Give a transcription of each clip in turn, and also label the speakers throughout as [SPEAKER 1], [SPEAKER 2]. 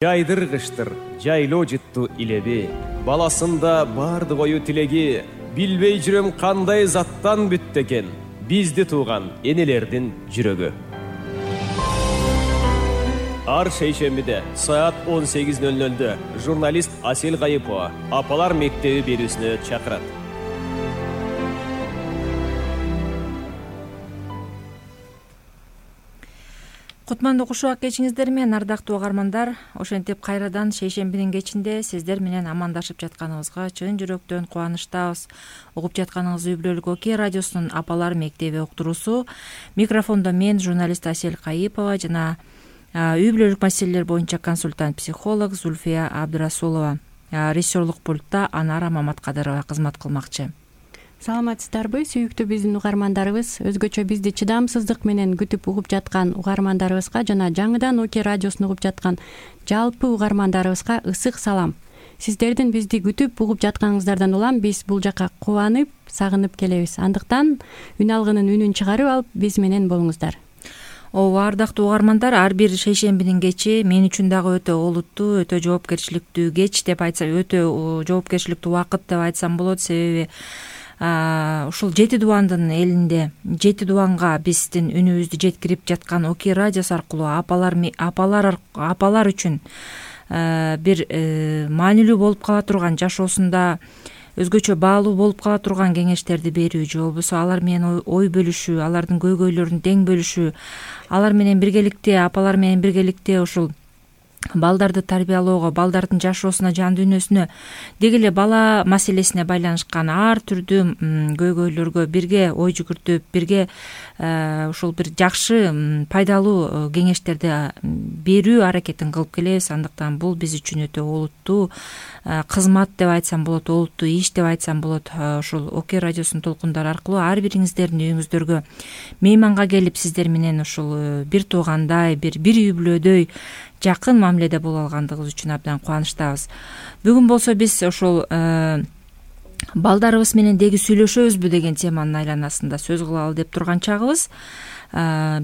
[SPEAKER 1] Жайдыр кыштыр, жайлоо жытту илеби, баласында барды кою тилеги, билбей жүрөм кандай заттан бүттү экен, бизди тууган энелердин жүрөгү. Ар шейшембиде саат 18:00 журналист Асел Кайыпова Апалар мектеби берүүсүнө чакырат.
[SPEAKER 2] Кутмандуу кушубак кечиңиздер менен, ардактуу угармандар. Ошентип кайрадан шейшембинин кечинде сиздер менен амандашып жатканыбызга чын жүрөктөн кубанычтабыз. Угуп жатканыңыз үй бүлөлүк ОК радиосунун Апалар мектеби уктуруусу. Микрофондо мен, журналист Асел Кайыпова жана үй бүлөлүк маселелер боюнча консультант психолог Зульфия Абдырасулова. Режиссерлук пультта Анара Маматкадырова кызмат кылмакчы.
[SPEAKER 3] Саламатсыздарбы, сүйүктүү биздин угармандарыбыз. Өзгөчө бизди чыдамсыздык менен күтүп угуп жаткан угармандарыбызга жана жаңыдан ОК радиосун угуп жаткан жалпы угармандарыбызга ысык салам. Сиздердин бизди күтүп угуп жатканыңыздардан улам биз бул жака кубанып, сагынып келебиз. Андыктан үн алгынын үнүн чыгарып алып, биз менен болуңуздар.
[SPEAKER 2] Ооба, ардактуу угармандар, ар бир шейшембинин кечи мен үчүн дагы өтө олуттуу, өтө жоопкерчиликтүү кеч деп айтсам, өтө жоопкерчиликтүү убакыт деп айтсам болот. Себеби ушул 7 дубандын элинде 7 дубанга биздин үнүбүздү жеткирип жаткан ОК радиосу аркылуу апалар үчүн бир маанилүү болуп кала турган, жашоосунда өзгөчө баалуу болуп кала турган кеңештерди берүү же болбосо алар менен ой бөлүшүү, алардын көйгөйлөрүн тең бөлүшүү, алар менен биргеликте, апалар менен биргеликте ушул балдарды тарбиялоого, балдардын жашоосуна, жан дүйнөсүнө, деги эле бала маселесине байланышкан ар түрдүү көйгөйлөргө бирге ой жүгүртүп, бирге ушул бир жакшы, пайдалуу кеңештерди берүү аракетин кылып келебиз. Андыктан бул биз үчүн өтө олуттуу кызмат деп айтсам болот, олуттуу иш деп айтсам болот. Ушул ОК радиосунун толкундары аркылуу ар бириңиздердин үйүңүздөргө мейманга келип, сиздер менен ушул бир туугандай, бир үй бүлөдөй жакын мамиледе боло алгандыгыбыз үчүн абдан кубанычтабыз. Бүгүн болсо биз ошол балдарыбыз менен деги сүйлөшөбүзбү деген теманын айланасында сөз кылалы деп турган чагыбыз.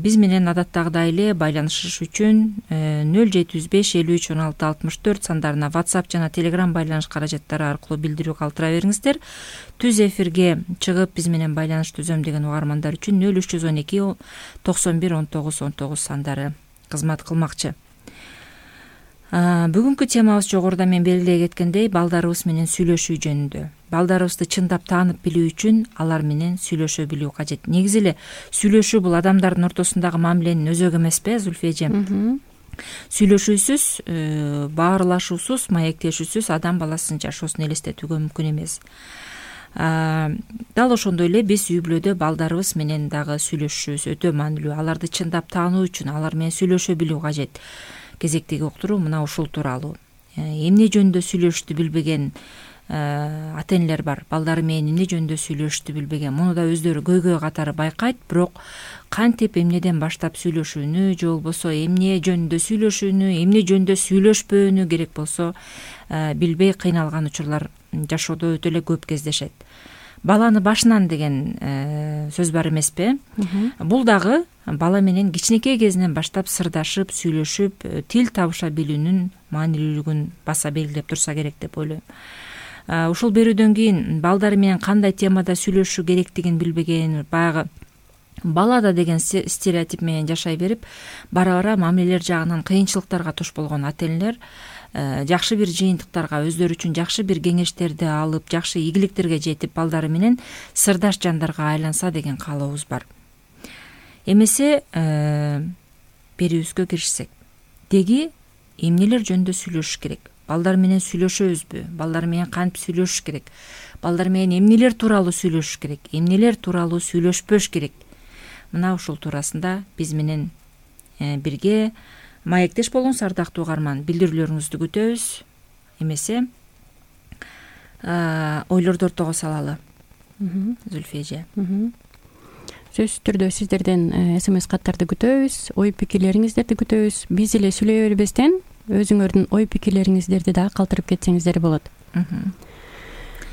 [SPEAKER 2] Биз менен адаттагыдай эле байланышыш үчүн 0705 53 16 64 сандарына WhatsApp жана Telegram байланыш каражаттары аркылуу билдирүү калтыра бериңиздер. Түз эфирге чыгып биз менен байланыш түзөм деген угармандар үчүн 0312 91 19 19 сандары кызмат кылмакчы. Бүгүнкү темабыз жогоруда мен белгилей кеткендей, балдарыбыз менен сүйлөшүү жөнүндө. Балдарыбызды чындап таанып билүү үчүн алар менен сүйлөшө билүү кажет. Негизи эле сүйлөшүү бул адамдардын ортосундагы мамиленин өзөгү эмеспи, Зульфия эжем? Сүйлөшүүсүз, баарылашуусуз, маектешүүсүз адам баласынын жашоосун элестетүүгө мүмкүн эмес. Дал ошондой эле биз үй бүлөдө балдарыбыз менен дагы сүйлөшүүбүз өтө маанилүү. Аларды чындап таануу үчүн алар менен сүйлөшө билүү кажет. Кезектеги уктуруу мына ушул тууралуу. Эмне жөнүндө сүйлөшүштү билбеген ата энелер бар. Балдары менен эмне жөнүндө сүйлөшүштү билбеген. Муну да өздөрү көйгөй катары байкайт, бирок кантип эмнеден баштап сүйлөшүүнү же болбосо эмне жөнүндө сүйлөшүүнү, эмне жөнүндө сүйлөшпөөнү керек болсо билбей кыйналган учурлар жашоодо өтө эле көп кездешет. Баланы башынан деген сөз бар эмеспи? Бул дагы бала менен кичинекей кезинен баштап сырдашып, сүйлөшүп, тил табыша билүүнүн маанилүүлүгүн баса белгилеп турса керек деп ойлойм. Ушул берүүдөн кийин балдары менен кандай темада сүйлөшүү керектигин билбеген, баягы балада деген стереотип менен жашай берип, бара-бара мамилелер жагынан кыйынчылыктарга туш болгон ата энелер жакшы бир жыйынтыктарга, өздөрү үчүн жакшы бир кеңештерди алып, жакшы ийгиликтерге жетип, балдары менен сырдаш жандарга айланса деген каалообуз бар. Эмесе берүүбүзгө киришсек, деги эмнелер жөнүндө сүйлөшүш керек? Балдар менен сүйлөшөбүзбү? Балдар менен кантип сүйлөшүш керек? Балдар менен эмнелер тууралуу сүйлөшүш керек? Эмнелер тууралуу сүйлөшпөш керек? Мына ушул туурасында биз менен бирге маектеш болуңуз, ардактуу угарман. Билдирүүлөрүңүздү күтөбүз. Эмесе ойлорду ортого салалы. Зульфия эже.
[SPEAKER 3] Сөзсүз түрдө сиздерден СМС каттарды күтөбүз, ой пикирлериңиздерди күтөбүз. Биз эле сүйлөй бербестен өзүңөрдүн ой пикирлериңиздерди дагы калтырып кетсеңиздер болот.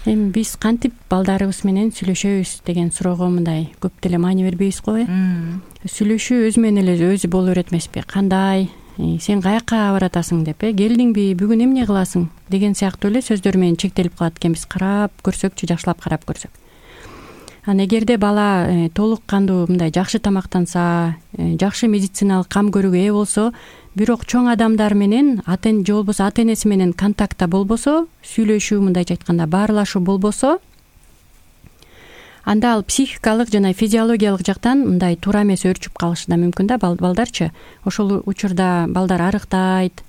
[SPEAKER 3] Эми биз кантип балдарыбыз менен сүйлөшөбүз деген суроого мындай көп деле маани бербейбиз го, Сүйлөшүү өзү менен эле өзү боло берет эмеспи? Кандай сен каякка баратасың деп, келдиңби, бүгүн эмне кыласың деген сыяктуу эле сөздөр менен чектелип калат экенбиз. Карап көрсөкчү, жакшылап карап көрсөк. Анан эгерде бала толук кандуу мындай жакшы тамактанса, жакшы медициналык кам көрүүгө ээ болсо, бирок чоң адамдар менен же болбосо ата энеси менен контактта болбосо, сүйлөшүү, мындайча айтканда баарлашуу болбосо, анда ал психикалык жана физиологиялык жактан мындай туура эмес өөрчүп калышы да мүмкүн да балдарчы. Ошол учурда балдар арыктайт,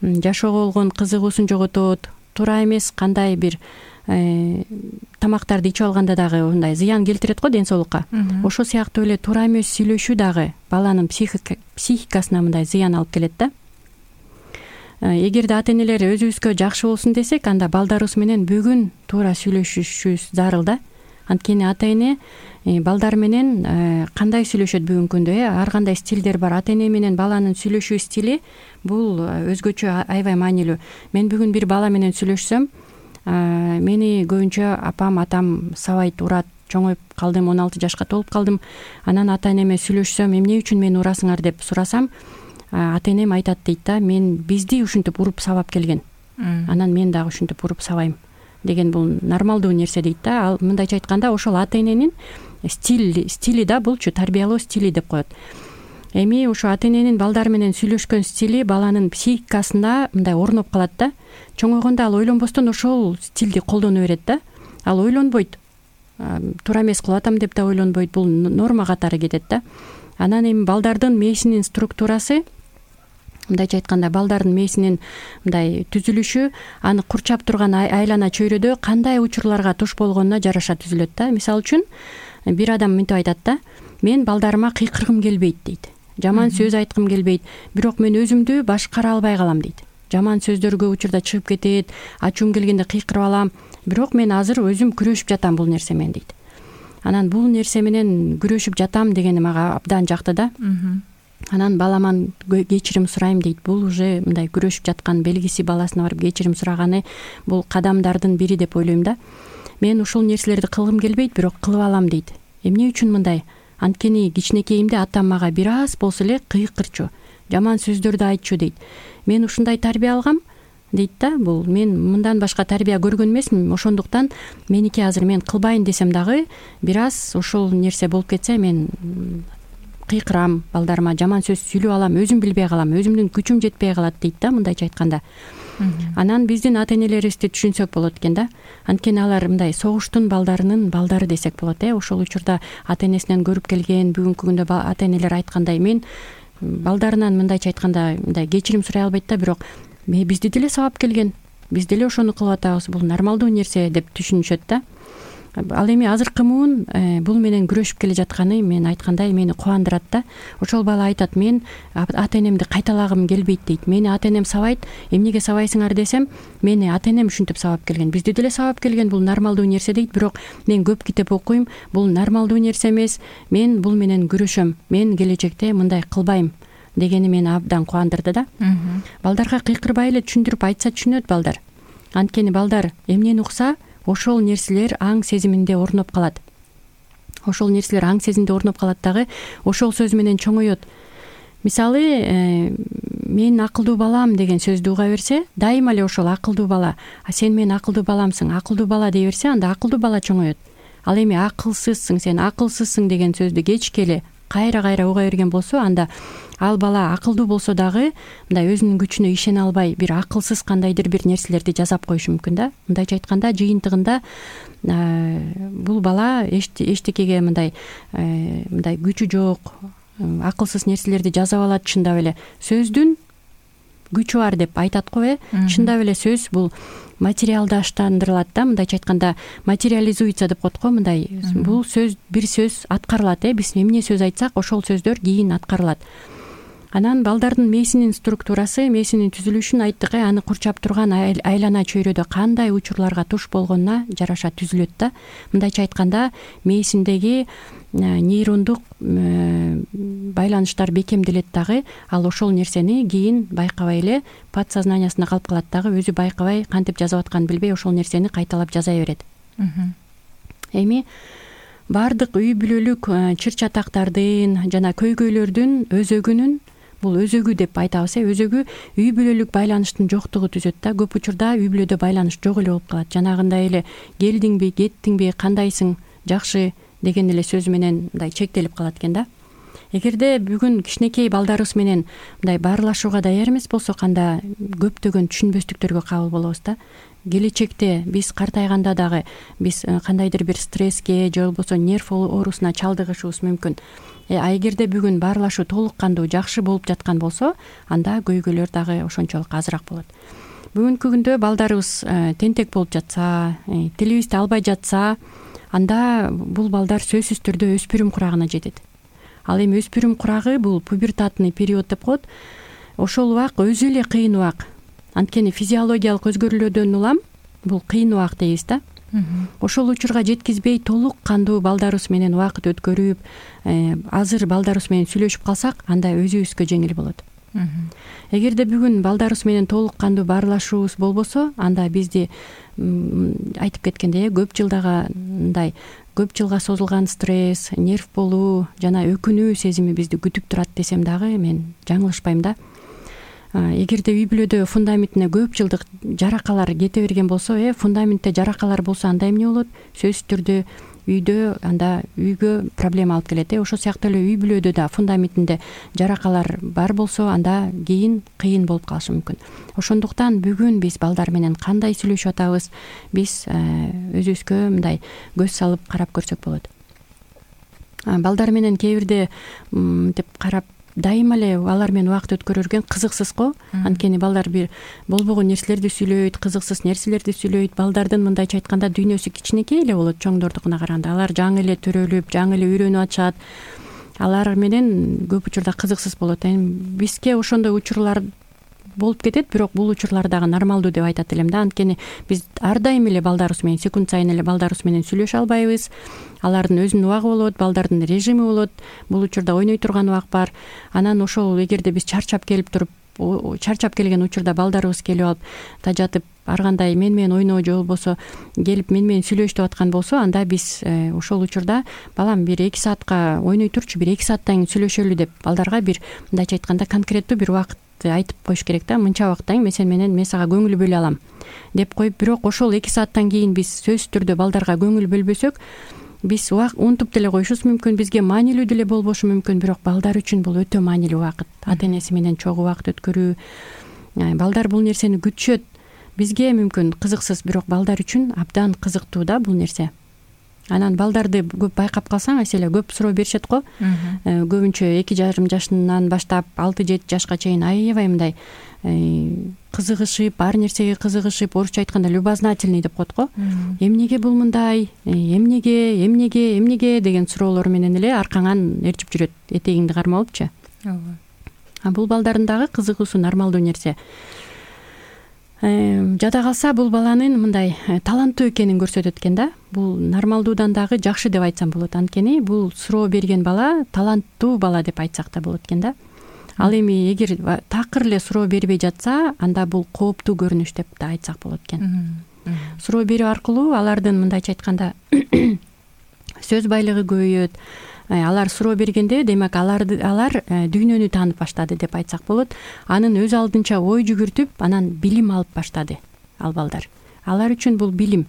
[SPEAKER 3] жашоого болгон кызыгуусун жоготот, туура эмес кандай бир тамактарды ичип алганда дагы мындай зыян келтирет го ден соолукка. Ошол сыяктуу эле туура эмес сүйлөшүү дагы баланын психикасына мындай зыян алып келет да. Эгерде ата энелер өзүбүзгө жакшы болсун десек, анда балдарыбыз менен бүгүн туура сүйлөшүшүбүз зарыл да. Анткени ата эне балдар менен кандай сүйлөшөт бүгүнкү күндө, ар кандай стилдер бар. Ата эне менен баланын сүйлөшүү стили бул өзгөчө, аябай маанилүү. Мен бүгүн бир бала менен сүйлөшсөм, мени көбүнчө апам, атам сабайт, урат. Чоңоюп калдым, 16 жашка толуп калдым. Анан ата энеме сүйлөшсөм, эмне үчүн мени урасыңар деп сурасам, ата энем айтат дейт да, бизди ушинтип уруп сабап келген. Анан мен дагы ушинтип уруп сабайм деген бул нормалдуу нерсе дейт да. Ал мындайча айтканда ошол ата эненин стили да, булчу тарбиялоо стили деп коет. Эми ушу ата эненин балдар менен сүйлөшкөн стили баланын психикасында мындай орноп калат да. Чоңойгондо ал ойлонбостон ошол стилди колдоно берет да. Ал ойлонбойт, туура эмес кылып атам деп да ойлонбойт, бул норма катары кетет да. Анан эми балдардын мээсинин структурасы, мындайча айтканда балдардын мээсинин мындай түзүлүшү аны курчап турган айлана чөйрөдө кандай учурларга туш болгонуна жараша түзүлөт да. Мисалы үчүн бир адам мынтип айтат да, мен балдарыма кыйкыргым келбейт дейт, жаман сөз айткым келбейт, бирок мен өзүмдү башкара албай калам дейт. Жаман сөздөр көп учурда чыгып кетет, ачуум келгенде кыйкырып алам, бирок мен азыр өзүм күрөшүп жатам бул нерсе менен дейт. Анан бул нерсе менен күрөшүп жатам дегени мага абдан жакты да. Анан баламан кечирим сурайм дейт. Бул уже мындай күрөшүп жаткан белгиси, баласына барып кечирим сураганы бул кадамдардын бири деп ойлойм да. Мен ушул нерселерди кылгым келбейт, бирок кылып алам дейт. Эмне үчүн мындай? Анткени кичинекейимде атам мага бир аз болсо эле кыйкырчу, жаман сөздөрдү айтчу дейт. Мен ушундай тарбия алгам дейт да. Бул мен мындан башка тарбия көргөн эмесмин, ошондуктан меники азыр мен кылбайын десем дагы бир аз ошол нерсе болуп кетсе, мен кыйкырам, балдарыма жаман сөз сүйлөп алам, өзүм билбей калам, өзүмдүн күчүм жетпей калат дейт да, мындайча айтканда. Анан биздин ата энелерибизди түшүнсөк болот экен да. Анткени алар мындай согуштун балдарынын балдары десек болот. Ошол учурда ата энесинен көрүп келген, бүгүнкү күндө ата энелер айткандай, мен балдарынан мындайча айтканда мындай кечирим сурай албайт да, бирок бизди деле сабап келген, биз деле ошону кылып атабыз, бул нормалдуу нерсе деп түшүнүшөт да. Ал эми азыркы муун бул менен күрөшүп келе жатканы мен айткандай мени кубандырат да. Ошол бала айтат, мен ата энемди кайталагым келбейт дейт. Мени ата энем сабайт, эмнеге сабайсыңар десем, мени ата энем ушинтип сабап келген, бизди деле сабап келген, бул нормалдуу нерсе дейт, бирок мен көп китеп окуйм, бул нормалдуу нерсе эмес, мен бул менен күрөшөм, мен келечекте мындай кылбайм дегени мени абдан кубандырды да. Балдарга кыйкырбай эле түшүндүрүп айтса түшүнөт балдар. Анткени балдар эмнени укса, ошол нерселер аң сезиминде орноп калат. Ошол нерселер аң сезимде орноп калат дагы, ошол сөз менен чоңоет. Мисалы, мен акылдуу балам деген сөздү уга берсе, дайыма эле ошол акылдуу бала, сен менин акылдуу баламсың, акылдуу бала дей берсе, анда акылдуу бала чоңоет. Ал эми акылсызсың, сен акылсызсың деген сөздү кечке эле кайра уга берген болсо, анда ал бала акылдуу болсо дагы мындай өзүнүн күчүнө ишене албай, бир акылсыз кандайдыр бир нерселерди жасап коюшу мүмкүн да. Мындайча айтканда, жыйынтыгында бул бала эчтекеге мындай күчү жок, акылсыз нерселерди жасап алат. Чындап эле сөздүн күчү бар деп айтат го, чындап эле сөз бул материалдаштандырылат да, мындайча айтканда материализуется деп коет го, мындай бул сөз, бир сөз аткарылат, биз эмне сөз айтсак, ошол сөздөр кийин аткарылат. Анан балдардын мээсинин структурасы, мээсинин түзүлүшүн айттык, аны курчап турган айлана чөйрөдө кандай учурларга туш болгонуна жараша түзүлөт да. Мындайча айтканда, мээсиндеги нейрондук байланыштар бекемделет дагы, ал ошол нерсени кийин байкабай эле подсознаниясында калып калат дагы, өзү байкабай, кантип жазып атканын билбей ошол нерсени кайталап жаза берет. Эми баардык үй бүлөлүк чыр чатактардын жана көйгөйлөрдүн өзөгүнүн бул өзөгү деп айтабыз. Өзөгү үй бүлөлүк байланыштын жоктугу түзөт да. Көп учурда үй бүлөдө байланыш жок эле болуп калат. Жанагындай эле келдиңби, кеттиңби, кандайсың, жакшы деген эле сөз менен мындай чектелип калат экен да. Эгерде бүгүн кичинекей балдарыбыз менен мындай баарлашууга даяр эмес болсок, анда көптөгөн түшүнбөстүктөргө кабыл болобуз да. Келечекте биз картайганда дагы биз кандайдыр бир стресске же болбосо нерв оорусуна чалдыгышыбыз мүмкүн. А эгерде бүгүн баарлашуу толук кандуу жакшы болуп жаткан болсо, анда көйгөйлөр дагы ошончолук азыраак болот. Бүгүнкү күндө балдарыбыз тентек болуп жатса, телибизди албай жатса, анда бул балдар сөзсүз түрдө өспүрүм курагына жетет. Ал эми өспүрүм курагы бул пубертатный период деп коет. Ошол убак өзү эле кыйын убак. Анткени физиологиялык өзгөрүүлөрдөн улам бул кыйын убак дейбиз да. Ошол учурга жеткизбей толук кандуу балдарыбыз менен убакыт өткөрүп, азыр балдарыбыз менен сүйлөшүп калсак, анда өзүбүзгө жеңил болот. Эгерде бүгүн балдарыбыз менен толук кандуу баарлашуубуз болбосо, анда бизди айтып кеткендей, көп жылга созулган стресс, нерв болуу жана өкүнүү сезими бизди күтүп турат десем дагы мен жаңылышпайм да. Эгерде үй бүлөдө фундаментине көп жылдык жаракалар кете берген болсо, фундаментте жаракалар болсо анда эмне болот? Сөзсүз түрдө үйдө анда үйгө проблема алып келет. Ошол сыяктуу эле үй бүлөдө да фундаментинде жаракалар бар болсо, анда кийин кыйын болуп калышы мүмкүн. Ошондуктан бүгүн биз балдар менен кандай сүйлөшүп атабыз, биз өзүбүзгө мындай көз салып карап көрсөк болот. Балдар менен кээ бирде деп карап дайыма эле алар менен убакыт өткөрөргөн кызыксыз го. Анткени балдар бир болбогон нерселерди сүйлөйт, кызыксыз нерселерди сүйлөйт. Балдардын мындайча айтканда дүйнөсү кичинекей эле болот чоңдордукуна караганда. Алар жаңы эле төрөлүп, жаңы эле үйрөнүп атышат. Алар менен көп учурда кызыксыз болот. Бизге ошондой учурлар болуп кетет, бирок бул учурлар дагы нормалдуу деп айтат элем да. Анткени биз ар дайым эле балдарыбыз менен, секунд сайын эле балдарыбыз менен сүйлөшө албайбыз. Алардын өзүнүн убагы болот, балдардын режими болот. Бул учурда ойной турган убак бар. Анан ошол эгерде биз чарчап келген учурда балдарыбыз келип алып тажатып, ар кандай мен менен ойноо же болбосо келип мен менен сүйлөш деп аткан болсо, анда биз ошол учурда балам бир 2 саатка ойной турчу, бир 2 сааттан кийин сүйлөшөлү деп балдарга бир мындайча айтканда конкреттүү бир убакыт айтып коюш керек да. Мынча убакыттан кийин мен сага көңүл бөлө алам деп коюп, бирок ошол 2 сааттан кийин биз сөзсүз түрдө балдарга көңүл бөлбөсөк, биз унутуп деле коюшубуз мүмкүн, бизге маанилүү деле болбошу мүмкүн, бирок балдар үчүн бул өтө маанилүү убакыт. Ата энеси менен чогуу убакыт өткөрүү. Балдар бул нерсени күтүшөт. Бизге мүмкүн кызыксыз, бирок балдар үчүн абдан кызыктуу да бул нерсе. Анан балдарды көп байкап калсаң, эселе көп суроо беришет го. Көбүнчө 2,5 жашынан баштап 6-7 жашка чейин аябай мындай кызыгышып, ар нерсеге кызыгышып, орусча айтканда любознательный деп коет го. Эмнеге бул мындай, эмнеге деген суроолор менен эле аркаңан ээрчип жүрөт, этегиңди кармалыпчы. Бул балдардын дагы кызыгуусу нормалдуу нерсе. Жада калса бул баланын мындай таланттуу экенин көрсөтөт экен да. Бул нормалдуудан дагы жакшы деп айтсам болот. Анткени бул суроо берген бала таланттуу бала деп айтсак да болот экен да. Ал эми эгер такыр эле суроо бербей жатса, анда бул кооптуу көрүнүш деп да айтсак болот экен. Суроо берүү аркылуу алардын мындайча айтканда сөз байлыгы көбөйөт. Алар суроо бергенде, демек алар дүйнөнү таанып баштады деп айтсак болот. Анын өз алдынча ой жүгүртүп, анан билим алып баштады ал балдар. Алар үчүн бул билим.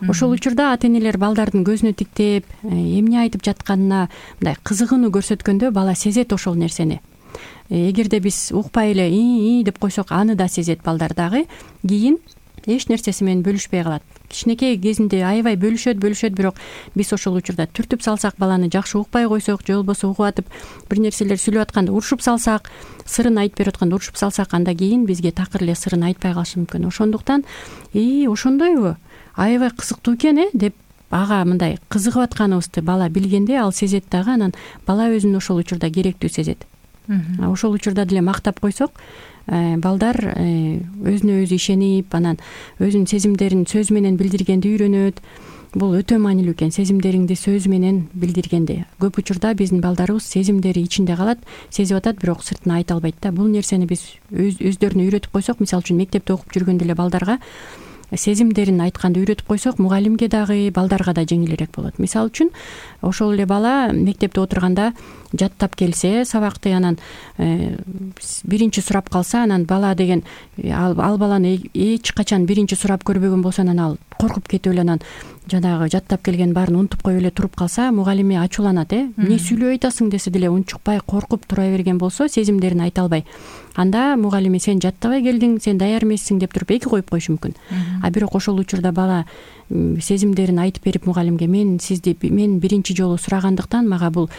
[SPEAKER 3] Ошол учурда ата энелер балдардын көзүнө тиктеп, эмне айтып жатканына мындай кызыгууну көрсөткөндө бала сезет ошол нерсени. Эгерде биз укпай эле деп койсок, аны да сезет балдар дагы. Кийин эч нерсеси менен бөлүшпөй калат. Кичинекей кезинде аябай бөлүшөт, бирок биз ошол учурда түртүп салсак, баланы жакшы укпай койсок, же болбосо угуп атып бир нерселер сүйлөп атканда урушуп салсак, сырын айтып берип атканда урушуп салсак, анда кийин бизге такыр эле сырын айтпай калышы мүмкүн. Ошондуктан ошондойбу, аябай кызыктуу экен деп ага мындай кызыгып атканыбызды бала билгенде ал сезет дагы, анан бала өзүн ошол учурда керектүү сезет. Ошол учурда деле мактап койсок, балдар өзүнө өзү ишенип, анан өзүнүн сезимдерин сөз менен билдиргенди үйрөнөт. Бул өтө маанилүү экен, сезимдериңди сөз менен билдиргенди. Көп учурда биздин балдарыбыз сезимдери ичинде калат, сезип атат, бирок сыртына айта албайт да. Бул нерсени биз өздөрүнө үйрөтүп койсок, мисалы үчүн мектепте окуп жүргөндө эле балдарга сезимдерин айтканды үйрөтүп койсок, мугалимге дагы балдарга да жеңилирээк болот. Мисалы үчүн ошол эле бала мектепте отурганда жаттап келсе сабакты, анан биринчи сурап калса, анан бала деген ал баланы эч качан биринчи сурап көрбөгөн болсо, анан ал коркуп кетип эле анан жанагы жаттап келген баарын унутуп коюп эле туруп калса, мугалими ачууланат. Эмне сүйлөй атасың десе деле унчукпай коркуп тура берген болсо, сезимдерин айта албай, анда мугалими сен жаттабай келдиң, сен даяр эмессиң деп туруп эки коюп коюшу мүмкүн. А бирок ошол учурда бала сезимдерин айтып берип мугалимге, мен биринчи жолу сурагандыктан мага бул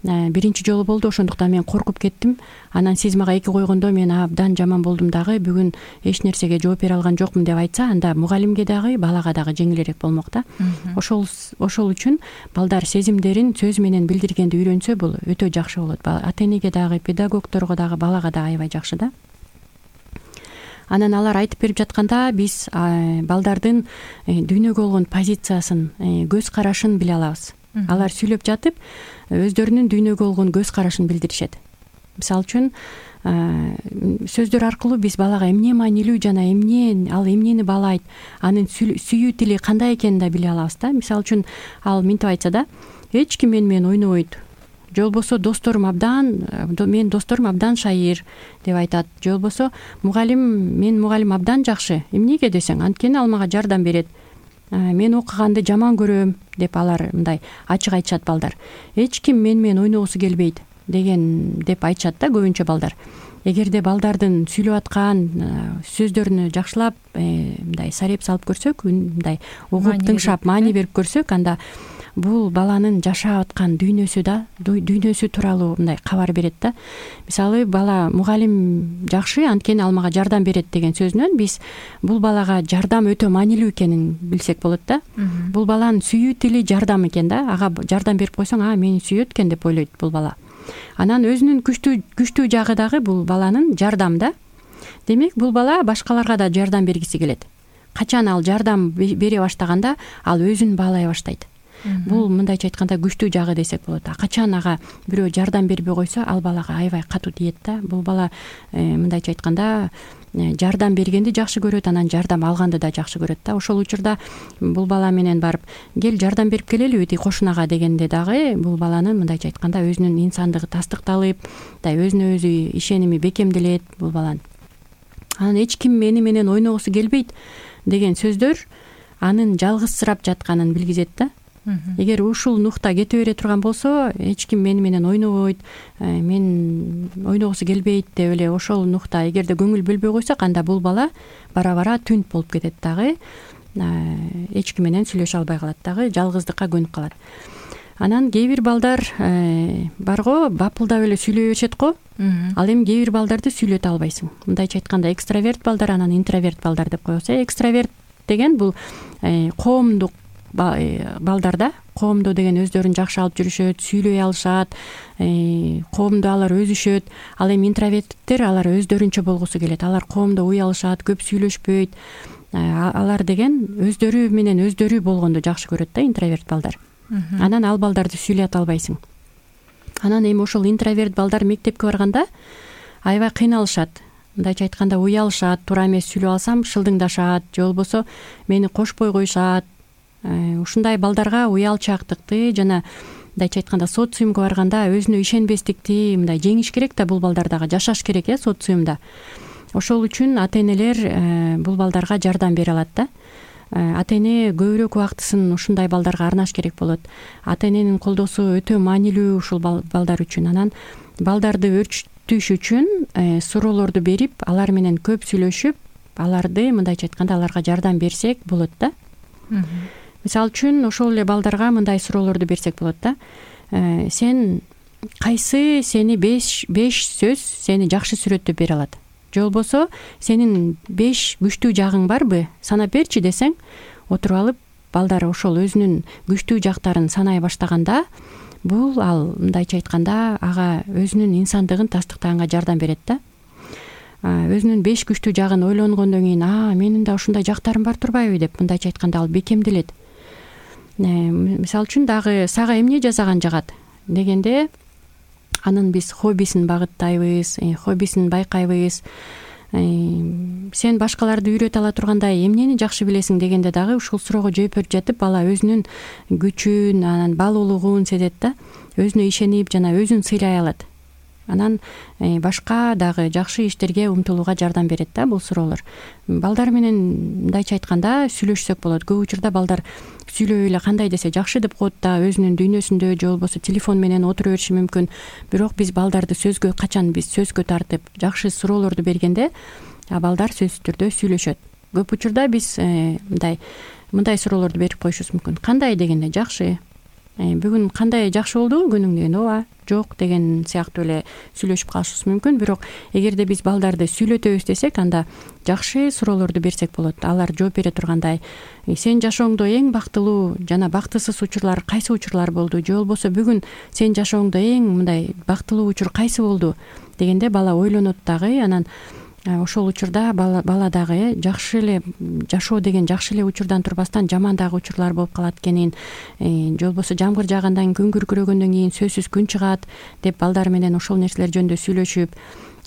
[SPEAKER 3] биринчи жолу болду, ошондуктан мен коркуп кеттим, анан сиз мага эки койгондо мен абдан жаман болдум дагы, бүгүн эч нерсеге жооп бере алган жокмун деп айтса, анда мугалимге дагы балага дагы жеңилирээк болмок да. Ошол үчүн балдар сезимдерин сөз менен билдиргенди үйрөнсө, бул өтө жакшы болот. Ата энеге дагы, педагогторго дагы, балага да аябай жакшы да. Анан алар айтып берип жатканда биз балдардын дүйнөгө болгон позициясын, көз карашын биле алабыз. Алар сүйлөп жатып өздөрүнүн дүйнөгө болгон көз карашын билдиришет. Мисалы үчүн сөздөр аркылуу биз балага эмне маанилүү жана ал эмнени баалайт, анын сүйүү тили кандай экенин да биле алабыз да. Мисалы үчүн ал мынтип айтса да, эч ким менен ойнобойт, же болбосо менин досторум абдан шайыр деп айтат, же болбосо менин мугалим абдан жакшы, эмнеге десең, анткени ал мага жардам берет, мен окуганды жаман көрөм деп алар мындай ачык айтышат балдар. Эч ким менен ойногусу келбейт деп айтышат да көбүнчө балдар. Эгерде балдардын сүйлөп аткан сөздөрүнү жакшылап мындай сареп салып көрсөк, мындай угуп тыңшап маани берип көрсөк, анда бул баланын жашап аткан дүйнөсү тууралуу мындай кабар берет да. Мисалы, бала мугалим жакшы, анткени ал мага жардам берет деген сөзүнөн биз бул балага жардам өтө маанилүү экенин билсек болот да. Бул баланын сүйүү тили жардам экен да. Ага жардам берип койсоң, мени сүйөт экен деп ойлойт бул бала. Анан өзүнүн күчтүү жагы дагы бул баланын жардам да. Демек, бул бала башкаларга да жардам бергиси келет. Качан ал жардам бере баштаганда, ал өзүн баалай баштайт. Бул мындайча айтканда күчтүү жагы десек болот. Качан ага бирөө жардам бербей койсо, ал балага аябай катуу тиет да. Бул бала мындайча айтканда жардам бергенди жакшы көрөт, анан жардам алганды да жакшы көрөт да. Ошол учурда бул бала менен барып, кел жардам берип келелиби тиги кошунага дегенде дагы бул баланын мындайча айтканда өзүнүн инсандыгы тастыкталып, өзүнө өзү ишеними бекемделет бул баланын. Анан эч ким менен ойногусу келбейт деген сөздөр анын жалгызсырап жатканын билгизет да. Эгер ушул нукта кете бере турган болсо, эч ким менен ойнобойт, мен ойногусу келбейт деп эле ошол нукта эгерде көңүл бөлбөй койсок, анда бул бала бара-бара түнт болуп кетет дагы, эч ким менен сүйлөшө албай калат дагы, жалгыздыкка көнүп калат. Анан кээ бир балдар барго бапылдап эле сүйлөй беришет го. Ал эми кээ бир балдарды сүйлөтө албайсың. Мындайча айтканда экстраверт балдар, анан интроверт балдар деп коебуз. Экстраверт деген бул коомдук балдар да. Коомдо деген өздөрүн жакшы алып жүрүшөт, сүйлөй алышат, коомдо алар өзүшөт. Ал эми интроверттер, алар өздөрүнчө болгусу келет. Алар коомдо уялышат, көп сүйлөшпөйт. Алар деген өздөрү менен өздөрү болгонду жакшы көрөт да, интроверт балдар. Анан ал балдарды сүйлөтө албайсың. Анан эми ошол интроверт балдар мектепке барганда аябай кыйналышат. Мындайча айтканда уялышат, туура эмес сүйлөп алсам шылдыңдашат, же болбосо мени кошпой коюшат. Ушундай балдарга уялчаактыкты жана мындайча айтканда социумга барганда өзүнө ишенбестикти мындай жеңиш керек да, бул балдар дагы жашаш керек социумда. Ошол үчүн ата энелер бул балдарга жардам бере алат да. Ата эне көбүрөөк убактысын ушундай балдарга арнаш керек болот. Ата эненин колдоосу өтө маанилүү ушул балдар үчүн. Анан балдарды өрчүтүш үчүн суроолорду берип, алар менен көп сүйлөшүп, аларды мындайча айтканда аларга жардам берсек болот да. Мисалы үчүн ошол эле балдарга мындай суроолорду берсек болот да. Сен кайсы сени 5 сөз сени жакшы сүрөттөп бере алат? Же болбосо сенин 5 күчтүү жагың барбы? Санап берчи десең, отуруп алып балдар ошол өзүнүн күчтүү жактарын санай баштаганда, бул ал мындайча айтканда ага өзүнүн инсандыгын тастыктаганга жардам берет да. Өзүнүн 5 күчтүү жагын ойлонгондон кийин, менин да ушундай жактарым бар турбайбы деп мындайча айтканда ал бекемделет. Мисалы үчүн дагы сага эмне жасаган жагат дегенде, анын биз хоббисин багыттайбыз, хоббисин байкайбыз. сен башкаларды үйрөтө ала тургандай эмнени жакшы билесиң дегенде дагы ушул суроого жооп берип жатып бала өзүнүн күчүн, анан баалуулугун сезет да, өзүнө ишенип жана өзүн сыйлай алат. Анан башка дагы жакшы иштерге умтулууга жардам берет да бул суроолор. Балдар менен мындайча айтканда сүйлөшсөк болот. Көп учурда балдар сүйлөбөй эле кандай десе жакшы деп коет да, өзүнүн дүйнөсүндө же болбосо телефон менен отура бериши мүмкүн. Бирок биз балдарды качан биз сөзгө тартып жакшы суроолорду бергенде балдар сөзсүз түрдө сүйлөшөт. Көп учурда биз мындай суроолорду берип коюшубуз мүмкүн. Кандай дегенде жакшы, бүгүн кандай, жакшы болдубу күнүң дегенде ооба, жок деген сыяктуу эле сүйлөшүп калышыбыз мүмкүн. Бирок эгерде биз балдарды сүйлөтөбүз десек, анда жакшы суроолорду берсек болот. Алар жооп бере тургандай, сен жашооңдо эң бактылуу жана бактысыз учурлар кайсы учурлар болду, же болбосо бүгүн сен жашооңдо эң мындай бактылуу учур кайсы болду дегенде бала ойлонот дагы. Анан ошол учурда бала дагы жакшы эле жашоо деген жакшы эле учурдан турбастан жаман дагы учурлар болуп калат экенин, же болбосо жамгыр жаагандан күн күркүрөгөндөн кийин сөзсүз күн чыгат деп балдар менен ошол нерселер жөнүндө сүйлөшүп,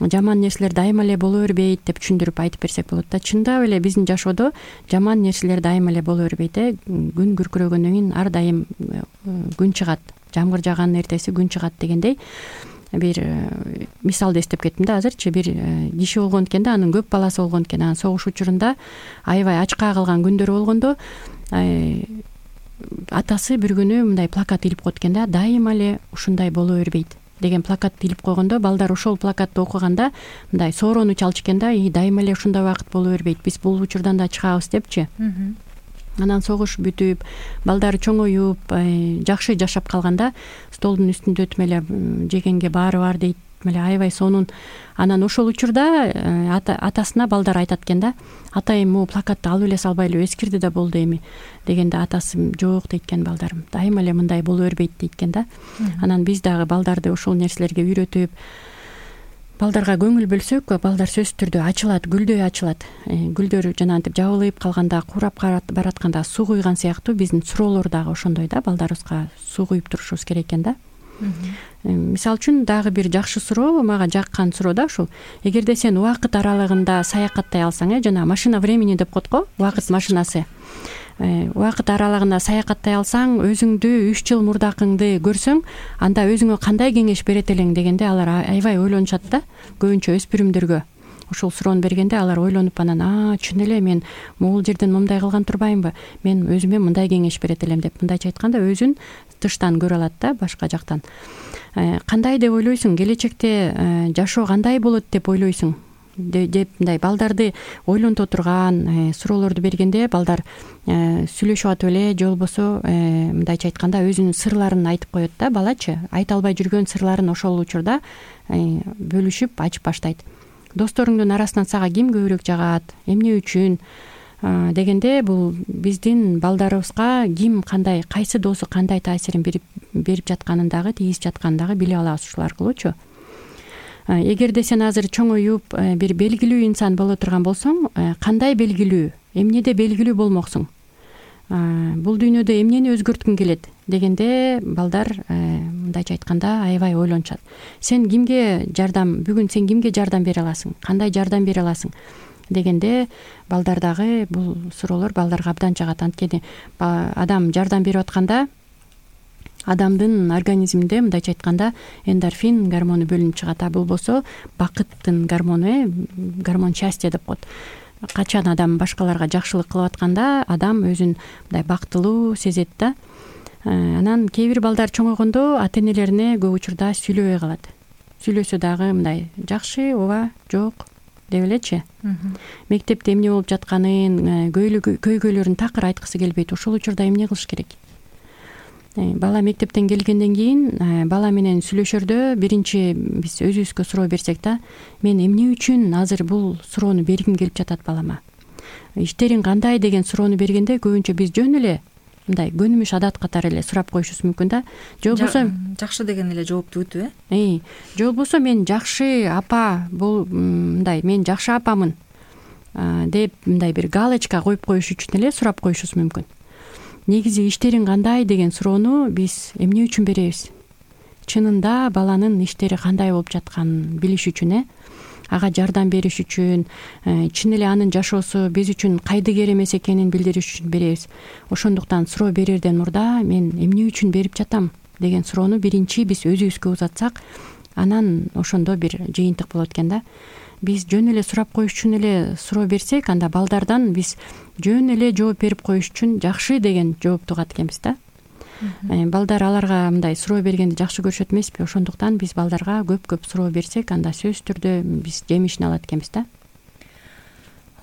[SPEAKER 3] жаман нерселер дайыма эле боло бербейт деп түшүндүрүп айтып берсек болот да. Чындап эле биздин жашоодо жаман нерселер дайыма эле боло бербейт. Күн күркүрөгөндөн кийин ар дайым күн чыгат, жамгыр жаагандын эртеси күн чыгат дегендей бир мисалды эстеп кеттим да азырчы. Бир киши болгон экен да, анын көп баласы болгон экен. Анан согуш учурунда аябай ачка калган күндөрү болгондо атасы бир күнү мындай плакат илип койт экен да, дайыма эле ушундай боло бербейт деген плакатты илип койгондо балдар ошол плакатты окуганда мындай соорону чалчу экен да, дайыма эле ушундай убакыт боло бербейт, биз бул учурдан да чыгабыз депчи. Анан согуш бүтүп, балдар чоңоюп, жакшы жашап калганда столдун үстүндө тмеле жегенге баары бар дейт, меле аябай сонун. Анан ошол учурда атасына балдар айтат экен да, атайым могу плакатты алып эле салбайлы, эскирди да болду эми дегенде атасы жок дейт экен, балдарым дайыма эле мындай боло бербейт дейт экен да. Анан биз дагы балдарды ошол нерселерге үйрөтүп, балдарга көңүл бөлсөк, балдар сөзсүз түрдө ачылат, гүлдөй ачылат. Гүлдөр жанагынтип жабылып калганда, курап баратканда суу куйган сыяктуу биздин суроолор дагы ошондой да, балдарыбызга суу куюп турушубуз керек экен да. Мисалы үчүн дагы бир жакшы суроо, мага жаккан суроо да ушул. Эгерде сен убакыт аралыгында саякаттай алсаң, жана машина времени деп коет го, убакыт машинасы. Убакыт аралыгында саякаттай алсаң, өзүңдү 3 жыл мурдакыңды көрсөң, анда өзүңө кандай кеңеш берет элең дегенде алар аябай ойлонушат да. Көбүнчө өспүрүмдөргө ушул суроону бергенде алар ойлонуп, анан чын эле мен могул жерден мындай кылган турбаймынбы, мен өзүмө мындай кеңеш берет элем деп мындайча айтканда өзүн тыштан көрө алат да, башка жактан. Кандай деп ойлойсуң, келечекте жашоо кандай болот деп ойлойсуң деп мындай балдарды ойлонто турган суроолорду бергенде балдар сүйлөшүп атып эле, же болбосо мындайча айтканда өзүнүн сырларын айтып коет да. Балачы айта албай жүргөн сырларын ошол учурда бөлүшүп ачып баштайт. Досторуңдун арасынан сага ким көбүрөөк жагат, эмне үчүн дегенде бул биздин балдарыбызга ким кандай, кайсы досу кандай таасирин берип жатканын дагы, тийгизип жатканын дагы биле алабыз ушул аркылуучу. Эгерде сен азыр чоңоюп бир белгилүү инсан боло турган болсоң, кандай белгилүү, эмнеде белгилүү болмоксуң, бул дүйнөдө эмнени өзгөрткүң келет дегенде балдар мындайча айтканда аябай ойлонушат. Сен кимге бүгүн сен кимге жардам бере аласың, кандай жардам бере аласың дегенде балдар дагы бул суроолор балдарга абдан жагат. Анткени адам жардам берип атканда адамдын организминде мындайча айтканда эндорфин гормону бөлүнүп чыгат. Бул болсо бакыттын гормону, гормон счастья деп коет. Качан адам башкаларга жакшылык кылып атканда адам өзүн мындай бактылуу сезет да. Анан кээ бир балдар чоңойгондо ата-энелерине көп учурда сүйлөбөй калат. Сүйлөсө дагы мындай жакшы, ооба, жок деп элечи. Мектепте эмне болуп жатканын, көйгөйлөрүн такыр айткысы келбейт. Ошол учурда эмне кылыш керек? Бала мектептен келгенден кийин бала менен сүйлөшөрдө биринчи биз өзүбүзгө суроо берсек да, мен эмне үчүн азыр бул суроону бергим келип жатат балама? Иштериң кандай деген суроону бергенде көбүнчө биз жөн эле мындай көнүмүш адат катары эле сурап коюшубуз мүмкүн да. Же болбосо
[SPEAKER 2] жакшы деген эле жоопту бүтүп,
[SPEAKER 3] же болбосо мен жакшы апа, бул мындай мен жакшы апамын деп мындай бир галочка коюп коюш үчүн эле сурап коюшубуз мүмкүн. Негизи иштериң кандай деген суроону биз эмне үчүн беребиз? Чынында баланын иштери кандай болуп жатканын билиш үчүн. ага жардам бериш үчүн, чын эле анын жашоосу биз үчүн кайдыгер эмес экенин билдириш үчүн беребиз. Ошондуктан суроо берерден мурда мен эмне үчүн берип жатам деген суроону биринчи биз өзүбүзгө узатсак, анан ошондо бир жыйынтык болот экен да. Биз жөн эле сурап коюш үчүн эле суроо берсек, анда балдардан биз жөн эле жооп берип коюш үчүн жакшы деген жоопту угат экенбиз да. Балдар аларга мындай суроо бергенди жакшы көрүшөт эмеспи? Ошондуктан биз балдарга көп суроо берсек, анда сөзсүз түрдө биз жемишин алат экенбиз да.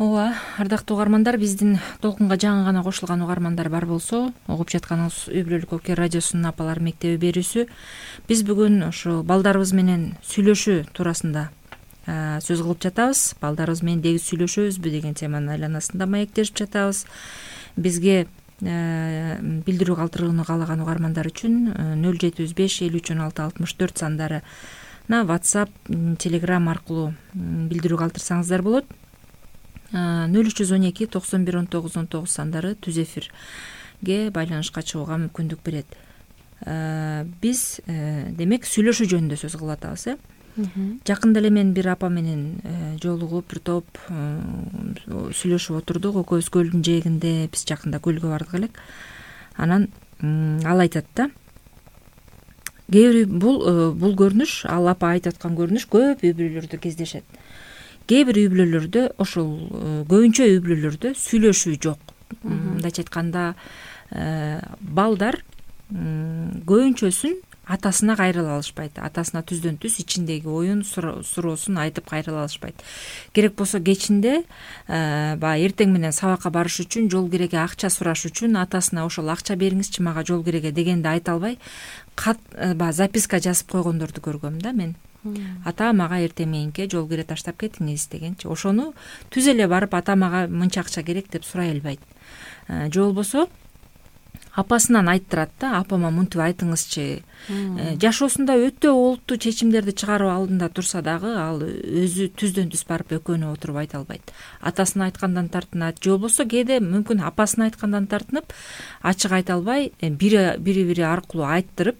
[SPEAKER 2] Ооба, ардактуу угармандар, биздин толкунга жаңы гана кошулган угармандар бар болсо, угуп жатканыңыз Үй бүлөлүк Оке радиосунун Апалар мектеби берүүсү. Биз бүгүн ошо балдарыбыз менен сүйлөшүү туурасында сөз кылып жатабыз. Балдарыбыз менен дегиз сүйлөшөбүзбү деген теманын айланасында маектешип жатабыз. Бизге билдирүү калтырууну каалаган угармандар үчүн 075 53 16 64 сандарына WhatsApp, Telegram аркылуу билдирүү калтырсаңыздар болот. 0312 91 19 19 сандары түз эфирге байланышка чыгууга мүмкүндүк берет. Биз демек сүйлөшүү жөнүндө сөз кылып атабыз. Жакында эле мен бир апа менен жолугуп, бир топ сүйлөшүп отурдук. Экөөбүз көлдүн жээгинде, биз жакында көлгө бардык элек. Анан ал айтат да, кээ бир бул көрүнүш, ал апа айтып аткан көрүнүш көп үй бүлөлөрдө кездешет. Кээ бир үй бүлөлөрдө, ошол көбүнчө үй бүлөлөрдө сүйлөшүү жок. Мындайча айтканда, балдар көбүнчөсүн атасына кайрыла алышпайт. Атасына түздөн түз ичиндеги оюн, суроосун айтып кайрыла алышпайт. Керек болсо кечинде баягы эртең менен сабакка барыш үчүн, жол кереге акча сураш үчүн атасына ошол акча бериңизчи мага жол кереге дегенди айта албай, баягы записка жазып койгондорду көргөм да мен. Ата мага эртең мененке жол кере таштап кетиңиз дегенчи. Ошону түз эле барып ата мага мынча акча керек деп сурай албайт. Же болбосо апасынан айттырат да, апама мынтип айтыңызчы. Жашоосунда өтө олуттуу чечимдерди чыгаруу алдында турса дагы, ал өзү түздөн түз барып экөөнө отуруп айта албайт. Атасына айткандан тартынат, же болбосо кээде мүмкүн апасына айткандан тартынып, ачык айта албай, бири аркылуу айттырып,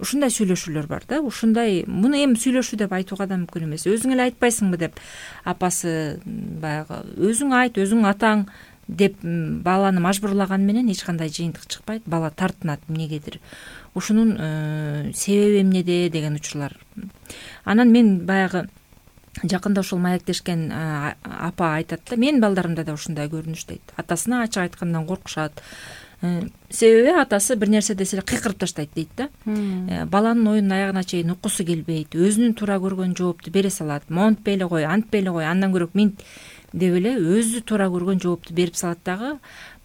[SPEAKER 2] ушундай сүйлөшүүлөр бар да. Ушундай, муну эми сүйлөшүү деп айтууга да мүмкүн эмес. Өзүң эле айтпайсыңбы деп апасы баягы өзүң айт, өзүң атаң деп баланы мажбурлаган менен эч кандай жыйынтык чыкпайт. Бала тартынат эмнегедир. Ушунун себеби эмнеде деген учурлар. Анан мен баягы жакында ошол маектешкен апа айтат да, менин балдарымда да ушундай көрүнүш дейт. Атасына ачык айткандан коркушат. Себеби атасы бир нерсе десе эле кыйкырып таштайт дейт да. Баланын оюнун аягына чейин уккусу келбейт. Өзүнүн туура көргөн жоопту бере салат. Монтпей эле кой, антпей эле кой, андан көрөк минт деп эле өзү туура көргөн жоопту берип салат дагы,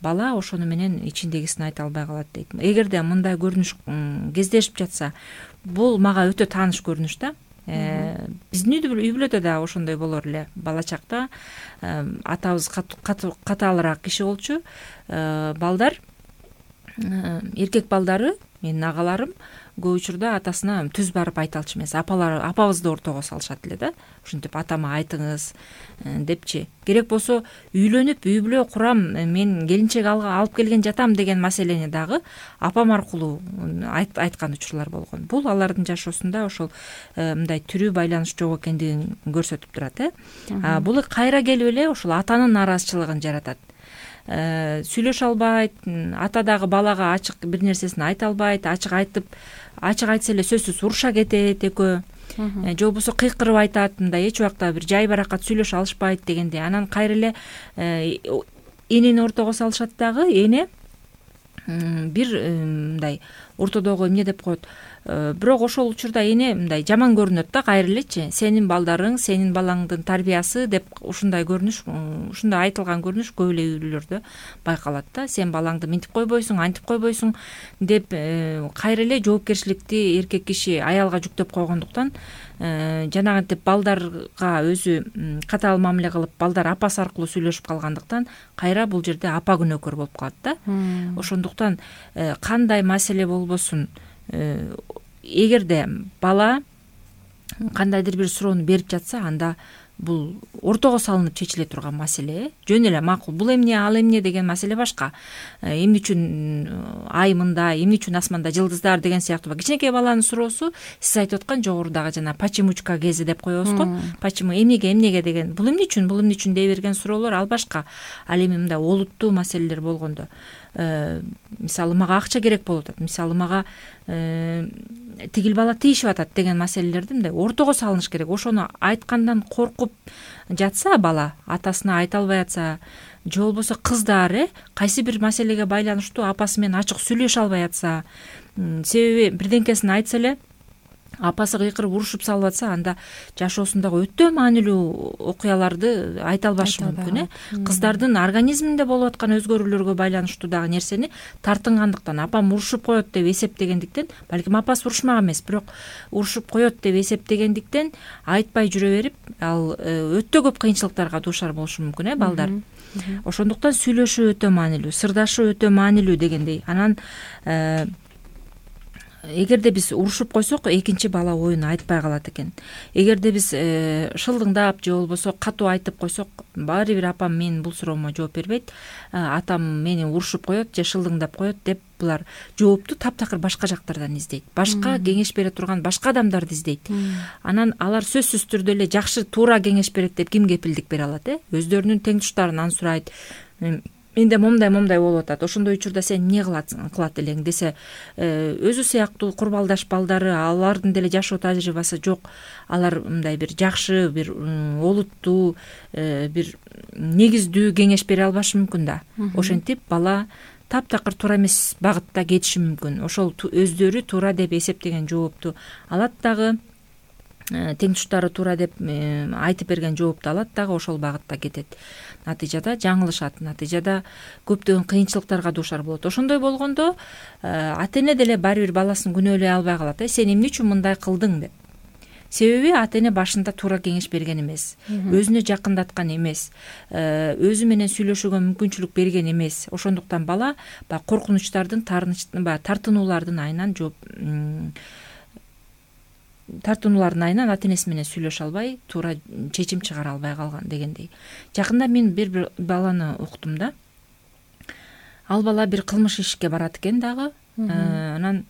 [SPEAKER 2] бала ошону менен ичиндегисин айта албай калат дейт. Эгерде мындай көрүнүш кездешип жатса, бул мага өтө тааныш көрүнүш да. Биздин үй бүлөдө да ошондой болор эле. Бала чакта атабыз катаалыраак киши болчу. Балдар, эркек балдары, менин агаларым көп учурда атасына түз барып айта алчу эмес. Апабызды ортого салышат эле да. Ушинтип атама айтыңыз депчи. Керек болсо үйлөнүп, үй бүлө курам, мен келинчек алып келген жатам деген маселени дагы апам аркылуу айткан учурлар болгон. Бул алардын жашоосунда ошол мындай тирүү байланыш жок экендигин көрсөтүп турат. Бул кайра келип эле ошол атанын нааразычылыгын жаратат. Сүйлөшө албайт, ата дагы балага ачык бир нерсесин айта албайт, ачык айтса эле сөзсүз уруша кетет экөө. Же болбосо кыйкырып айтат, мындай эч убакта бир жай баракат сүйлөшө алышпайт дегенде. Анан кайра эле энени ортого салышат дагы, эне бир мындай ортодогу эмне деп коет. Бирок ошол учурда эне мындай жаман көрүнөт да, кайра элечи. Сенин балдарың, сенин балаңдын тарбиясы деп ушундай көрүнүш, ушундай айтылган көрүнүш көп эле үй бүлөлөрдө байкалат да. Сен балаңды минтип койбойсуң, антип койбойсуң деп кайра эле жоопкерчиликти эркек киши аялга жүктөп койгондуктан, жанагынтип балдарга өзү катаал мамиле кылып, балдар апасы аркылуу сүйлөшүп калгандыктан кайра бул жерде апа күнөөкөр болуп калат да. Ошондуктан кандай маселе болбосун, эгерде бала кандайдыр бир суроону берип жатса, анда бул ортого салынып чечиле турган маселе. Жөн эле макул, бул эмне, ал эмне деген маселе башка. Эмне үчүн ай мындай, эмне үчүн асманда жылдыздар деген сыяктуу кичинекей баланын суроосу сиз айтып аткан жогорудагы жана почемучка кези деп коебуз го. Почему, эмнеге деген, бул эмне үчүн дей берген суроолор ал башка. Ал эми мындай олуттуу маселелер болгондо, мисалы мага акча керек болуп атат, мисалы мага тигил бала тийишип атат деген маселелерди мындай ортого салыныш керек. Ошону айткандан коркуп жатса бала, атасына айта албай атса, же болбосо кыздар кайсы бир маселеге байланыштуу апасы менен ачык сүйлөшө албай атса, себеби бирденкесин айтса эле апасы кыйкырып урушуп салып атса, анда жашоосундагы өтө маанилүү окуяларды айта албашы мүмкүн. Кыздардын организминде болуп аткан өзгөрүүлөргө байланыштуу дагы нерсени тартынгандыктан, апам урушуп коет деп эсептегендиктен, балким апасы урушмак эмес, бирок урушуп коет деп эсептегендиктен айтпай жүрө берип, ал өтө көп кыйынчылыктарга дуушар болушу мүмкүн балдар. Ошондуктан сүйлөшүү өтө маанилүү, сырдашуу өтө маанилүү дегендей. Анан эгерде биз урушуп койсок, экинчи бала оюн айтпай калат экен. Эгерде биз шылдыңдап же болбосо катуу айтып койсок, баары бир апам менин бул суроомо жооп бербейт, атам мени урушуп коет же шылдыңдап коет деп булар жоопту таптакыр башка жактардан издейт. Башка кеңеш бере турган башка адамдарды издейт. Анан алар сөзсүз түрдө эле жакшы, туура кеңеш берет деп ким кепилдик бере алат? Өздөрүнүн теңдуштарынан сурайт. Менде момдай болуп атат, ошондой учурда сен эмне кылат элең десе, өзү сыяктуу курбалдаш балдары, алардын деле жашоо тажрыйбасы жок, алар мындай бир жакшы, бир олуттуу, бир негиздүү кеңеш бере албашы мүмкүн да. Ошентип бала таптакыр туура эмес багытта кетиши мүмкүн. Ошол өздөрү туура деп эсептеген жоопту алат дагы, теңдуштары туура деп айтып берген жоопту алат дагы, ошол багытта кетет. Натыйжада жаңылышат, натыйжада көптөгөн кыйынчылыктарга дуушар болот. Ошондой болгондо ата-эне деле баары бир баласын күнөөлөй албай калат. Сен эмне үчүн мындай кылдың деп. Себеби ата-эне башында туура кеңеш берген эмес, өзүнө жакындаткан эмес, өзү менен сүйлөшүүгө мүмкүнчүлүк берген эмес. Ошондуктан бала коркунучтардын, тартынуулардын айынан ата-энеси менен сүйлөшө албай, туура чечим чыгара албай калган дегендей. Жакында мен бир баланы уктум да. Ал бала бир кылмыш ишке барат экен дагы. Анан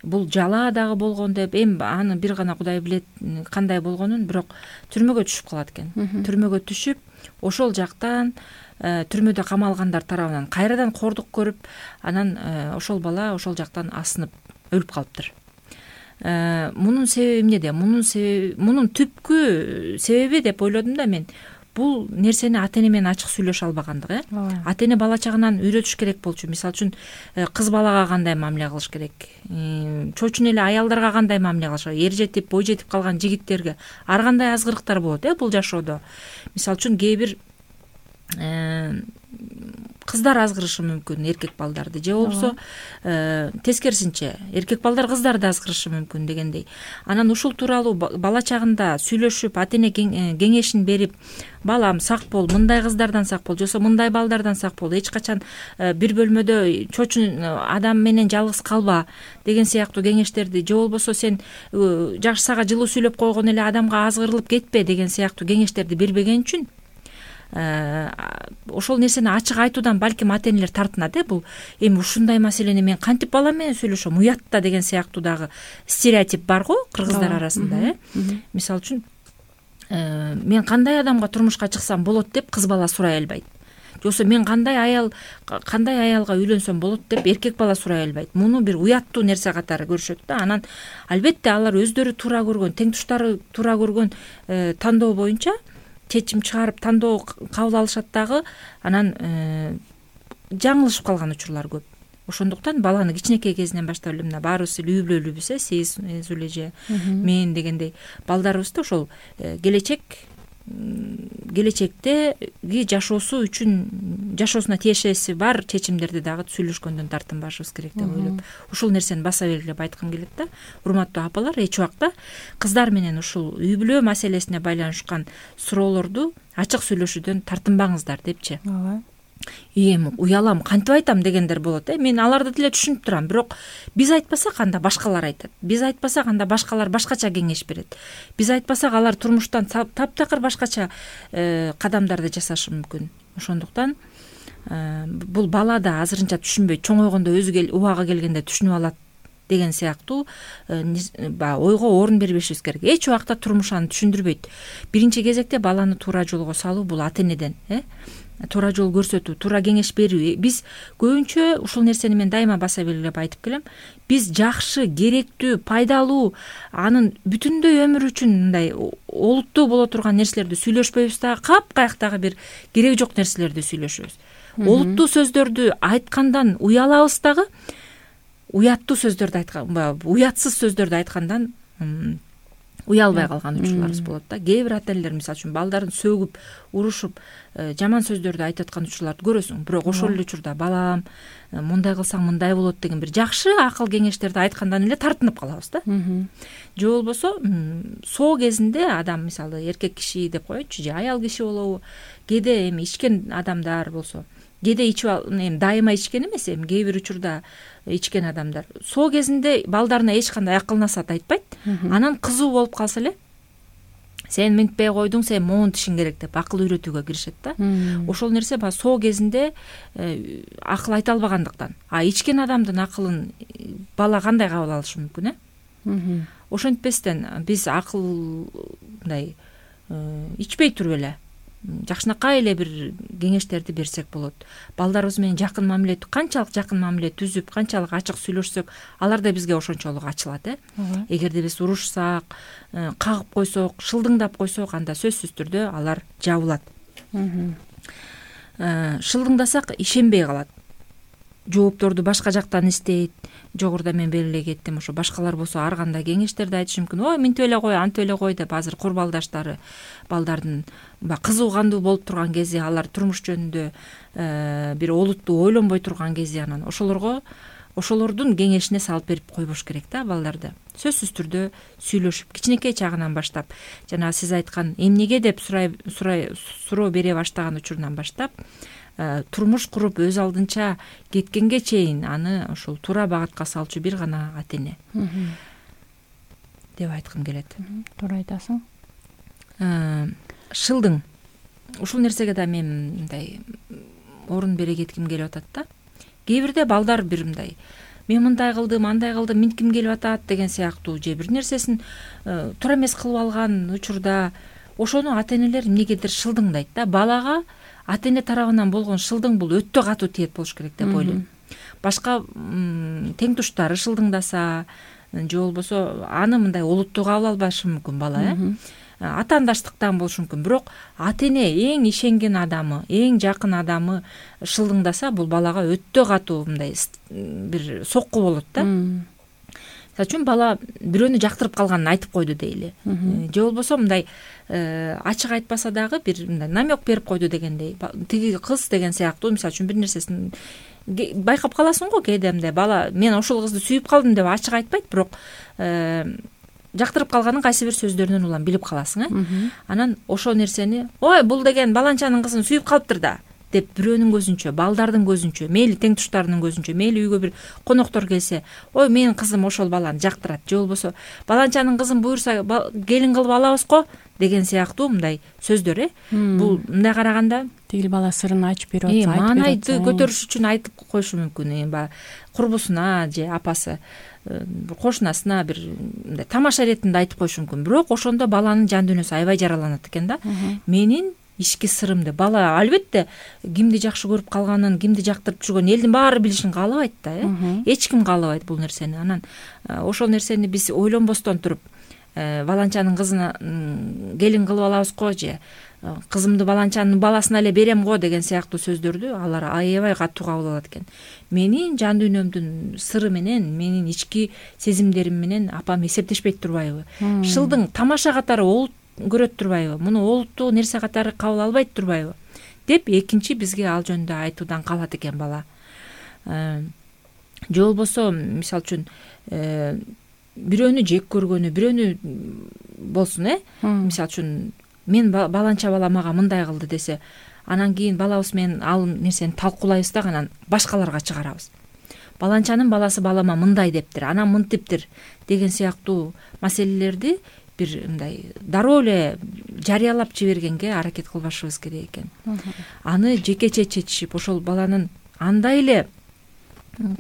[SPEAKER 2] бул жала дагы болгон деп, аны бир гана Кудай билет кандай болгонун, бирок түрмөгө түшүп калат экен. Түрмөгө түшүп, ошол жактан түрмөдө камалгандар тарабынан кайрадан кордук көрүп, анан ошол бала ошол жактан асынып өлүп калыптыр. Мунун себеби эмнеде? Мунун түпкү себеби деп ойлодум да мен. Бул нерсени ата-эне менен ачык сүйлөшө албагандыгы. Ата-эне бала чагынан үйрөтүш керек болчу. Мисалы үчүн кыз балага кандай мамиле кылыш керек, чочун эле аялдарга кандай мамиле кылыш керек, эр жетип, бой жетип калган жигиттерге ар кандай азгырыктар болот бул жашоодо. Мисалы үчүн кээ бир кыздар азгырышы мүмкүн эркек балдарды, же болбосо тескерисинче эркек балдар кыздарды азгырышы мүмкүн дегендей. Анан ушул тууралуу бала чагында сүйлөшүп, ата-эне кеңешин берип, балам сак бол, мындай кыздардан сак бол, жосо мындай балдардан сак бол, эч качан бир бөлмөдө чочун адам менен жалгыз калба деген сыяктуу кеңештерди, же болбосо сен жакшы сага жылуу сүйлөп койгон эле адамга азгырылып кетпе деген сыяктуу кеңештерди бербеген үчүн ошол нерсени ачык айтуудан балким ата-энелер тартынат. Бул эми ушундай маселени мен кантип балам менен сүйлөшөм, уят да деген сыяктуу дагы стереотип бар го кыргыздар арасында. Мисалы үчүн мен кандай адамга турмушка чыксам болот деп кыз бала сурай албайт. Жосо мен кандай аялга үйлөнсөм болот деп эркек бала сурай албайт. Муну бир уяттуу нерсе катары көрүшөт да. Анан албетте алар өздөрү туура көргөн, теңтуштары туура көргөн тандоо боюнча чечим чыгарып тандоо кабыл алышат дагы. Анан жаңылышып калган учурлар көп. Ошондуктан баланы кичинекей кезинен баштап эле мына баарыбыз үй бүлөлүүбүз, сиз эле же мен дегендей балдарыбызды ошол келечектеги жашоосу үчүн, жашоосуна тиешеси бар чечимдерди дагы сүйлөшкөндөн тартынбашыбыз керек деп ойлоп, ушул нерсени баса белгилеп айткым келет да. Урматтуу апалар, эч убакта кыздар менен ушул үй бүлө маселесине байланышкан суроолорду ачык сүйлөшүүдөн тартынбаңыздар депчи. эми уялам, кантип айтам дегендер болот. Мен аларды деле түшүнүп турам, бирок биз айтпасак анда башкалар айтат. Биз айтпасак анда башкалар башкача кеңеш берет. Биз айтпасак алар турмуштан таптакыр башкача кадамдарды жасашы мүмкүн. Ошондуктан бул бала да азырынча түшүнбөйт, чоңойгондо өзү убагы келгенде түшүнүп алат деген сыяктуу ойго орун бербешибиз керек. Эч убакта турмуш аны түшүндүрбөйт. Биринчи кезекте баланы туура жолго салуу бул ата энеден, туура жол көрсөтүү, туура кеңеш берүү. Биз көбүнчө ушул нерсени мен дайыма баса белгилеп айтып келем. Биз жакшы, керектүү, пайдалуу, анын бүтүндөй өмүр үчүн мындай олуттуу боло турган нерселерди сүйлөшпөйбүз дагы, капкаякдагы бир кереги жок нерселерди сүйлөшөбүз. Олуттуу сөздөрдү айткандан уялабыз дагы, уяттуу сөздөрдү уятсыз сөздөрдү айткандан уялбай калган учурларыбыз болот да. Кээ бир ата энелер мисалы үчүн балдарын сөгүп, урушуп, жаман сөздөрдү айтып аткан учурларды көрөсүң. Бирок ошол эле учурда балам, мындай кылсаң мындай болот деген бир жакшы акыл кеңештерди айткандан эле тартынып калабыз да. Же болбосо соо кезинде адам, мисалы эркек киши деп коеюнчу, же аял киши болобу, кээде эми ичкен адамдар болсо, кээде эми дайыма ичкен эмес, эми кээ бир учурда ичкен адамдар соо кезинде балдарына эч кандай акыл насаат айтпайт. Анан кызуу болуп калса эле, сен мынтпей койдуң, сен монтишиң керек деп акыл үйрөтүүгө киришет да. Ошол нерсе баягы соо кезинде акыл айта албагандыктан. Ичкен адамдын акылын бала кандай кабыл алышы мүмкүн, Ошентпестен биз акыл мындай ичпей туруп эле жакшынакай эле бир кеңештерди берсек болот. Балдарыбыз менен жакын мамиле, канчалык жакын мамиле түзүп, канчалык ачык сүйлөшсөк, алар да бизге ошончолук ачылат. Эгерде биз урушсак, кагып койсок, шылдыңдап койсок, анда сөзсүз түрдө алар жабылат. Шылдыңдасак ишенбей калат. Жоопторду башка жактан издейт. Жогоруда мен белгилей кеттим, ошо башкалар болсо ар кандай кеңештерди айтышы мүмкүн. Ой, мынтип эле кой, антип эле кой деп азыр курбалдаштары балдардын кызуу кандуу болуп турган кези, алар турмуш жөнүндө бир олуттуу ойлонбой турган кези, анан ошолордун кеңешине салып берип койбош керек да балдарды. Сөзсүз түрдө сүйлөшүп, кичинекей чагынан баштап, жана сиз айткан эмнеге деп суроо бере баштаган учурунан баштап, турмуш куруп өз алдынча кеткенге чейин аны ошол туура багытка салчу бир гана ата эне деп айткым келет.
[SPEAKER 3] Туура айтасың.
[SPEAKER 2] Шылдың. Ушул нерсеге да мен мындай орун бере кетким келип атат да. Кээ бирде балдар бир мындай, мен мындай кылдым, андай кылдым, минтким келип атат деген сыяктуу же бир нерсесин туура эмес кылып алган учурда ошону ата энелер эмнегедир шылдыңдайт да. Балага ата эне тарабынан болгон шылдың бул өтө катуу тиет болуш керек деп ойлойм. Башка тең туштары шылдыңдаса, же болбосо аны мындай олуттуу кабыл албашы мүмкүн бала, атаандаштыктан болушу мүмкүн. Бирок ата эне эң ишенген адамы, эң жакын адамы шылдыңдаса, бул балага өтө катуу мындай бир сокку болот да. Мисалы үчүн бала бирөөнү жактырып калганын айтып койду дейли. Же болбосо мындай ачык айтпаса дагы бир мындай намек берип койду дегендей. Тиги кыз деген сыяктуу мисалы үчүн бир нерсесин байкап каласың го, кээде мындай бала мен ошол кызды сүйүп калдым деп ачык айтпайт, бирок жактырып калганын кайсы бир сөздөрүнөн улам билип каласың. Анан ошол нерсени, ой, бул деген баланчанын кызын сүйүп калыптыр да деп бирөөнүн көзүнчө, балдардын көзүнчө, мейли тең туштарынын көзүнчө, мейли үйгө бир коноктор келсе, ой, менин кызым ошол баланы жактырат, же болбосо баланчанын кызын буюрса келин кылып алабыз го деген сыяктуу мындай сөздөр. Бул мындай караганда
[SPEAKER 3] тигил бала сырын ачып берип атса,
[SPEAKER 2] маанайды көтөрүш үчүн айтып коюшу мүмкүн. Курбусуна же апасы, кошунасына бир мындай тамаша иретинде айтып коюшу мүмкүн. Бирок ошондо баланын жан дүйнөсү аябай жараланат экен да. Менин ички сырымды бала албетте кимди жакшы көрүп калганын, кимди жактырып жүргөнүн элдин баары билишин каалабайт да. Эч ким каалабайт бул нерсени. Анан ошол нерсени биз ойлонбостон туруп, баланчанын кызына келин кылып алабыз го, же кызымды баланчанын баласына эле берем го деген сыяктуу сөздөрдү алар аябай катуу кабыл алат экен. Менин жан дүйнөмдүн сыры менен, менин ички сезимдерим менен апам эсептешпейт турбайбы? Шылдың тамаша катары көрөт турбайбы? Муну олуттуу нерсе катары кабыл албайт турбайбы? Деп экинчи бизге ал жөнүндө айтуудан калат экен бала. Же болбосо мисалы үчүн бирөөнү жек көргөнү, бирөөнү болсун, мисалы үчүн мен баланча бала мага мындай кылды десе, анан кийин балабыз менен ал нерсени талкуулайбыз да анан башкаларга чыгарабыз. Баланчанын баласы балама мындай дептир, анан мынтиптир деген сыяктуу маселелерди бир мындай дароо эле жарыялап жибергенге аракет кылбашыбыз керек экен. Аны жекече чечишип, ошол баланын андай эле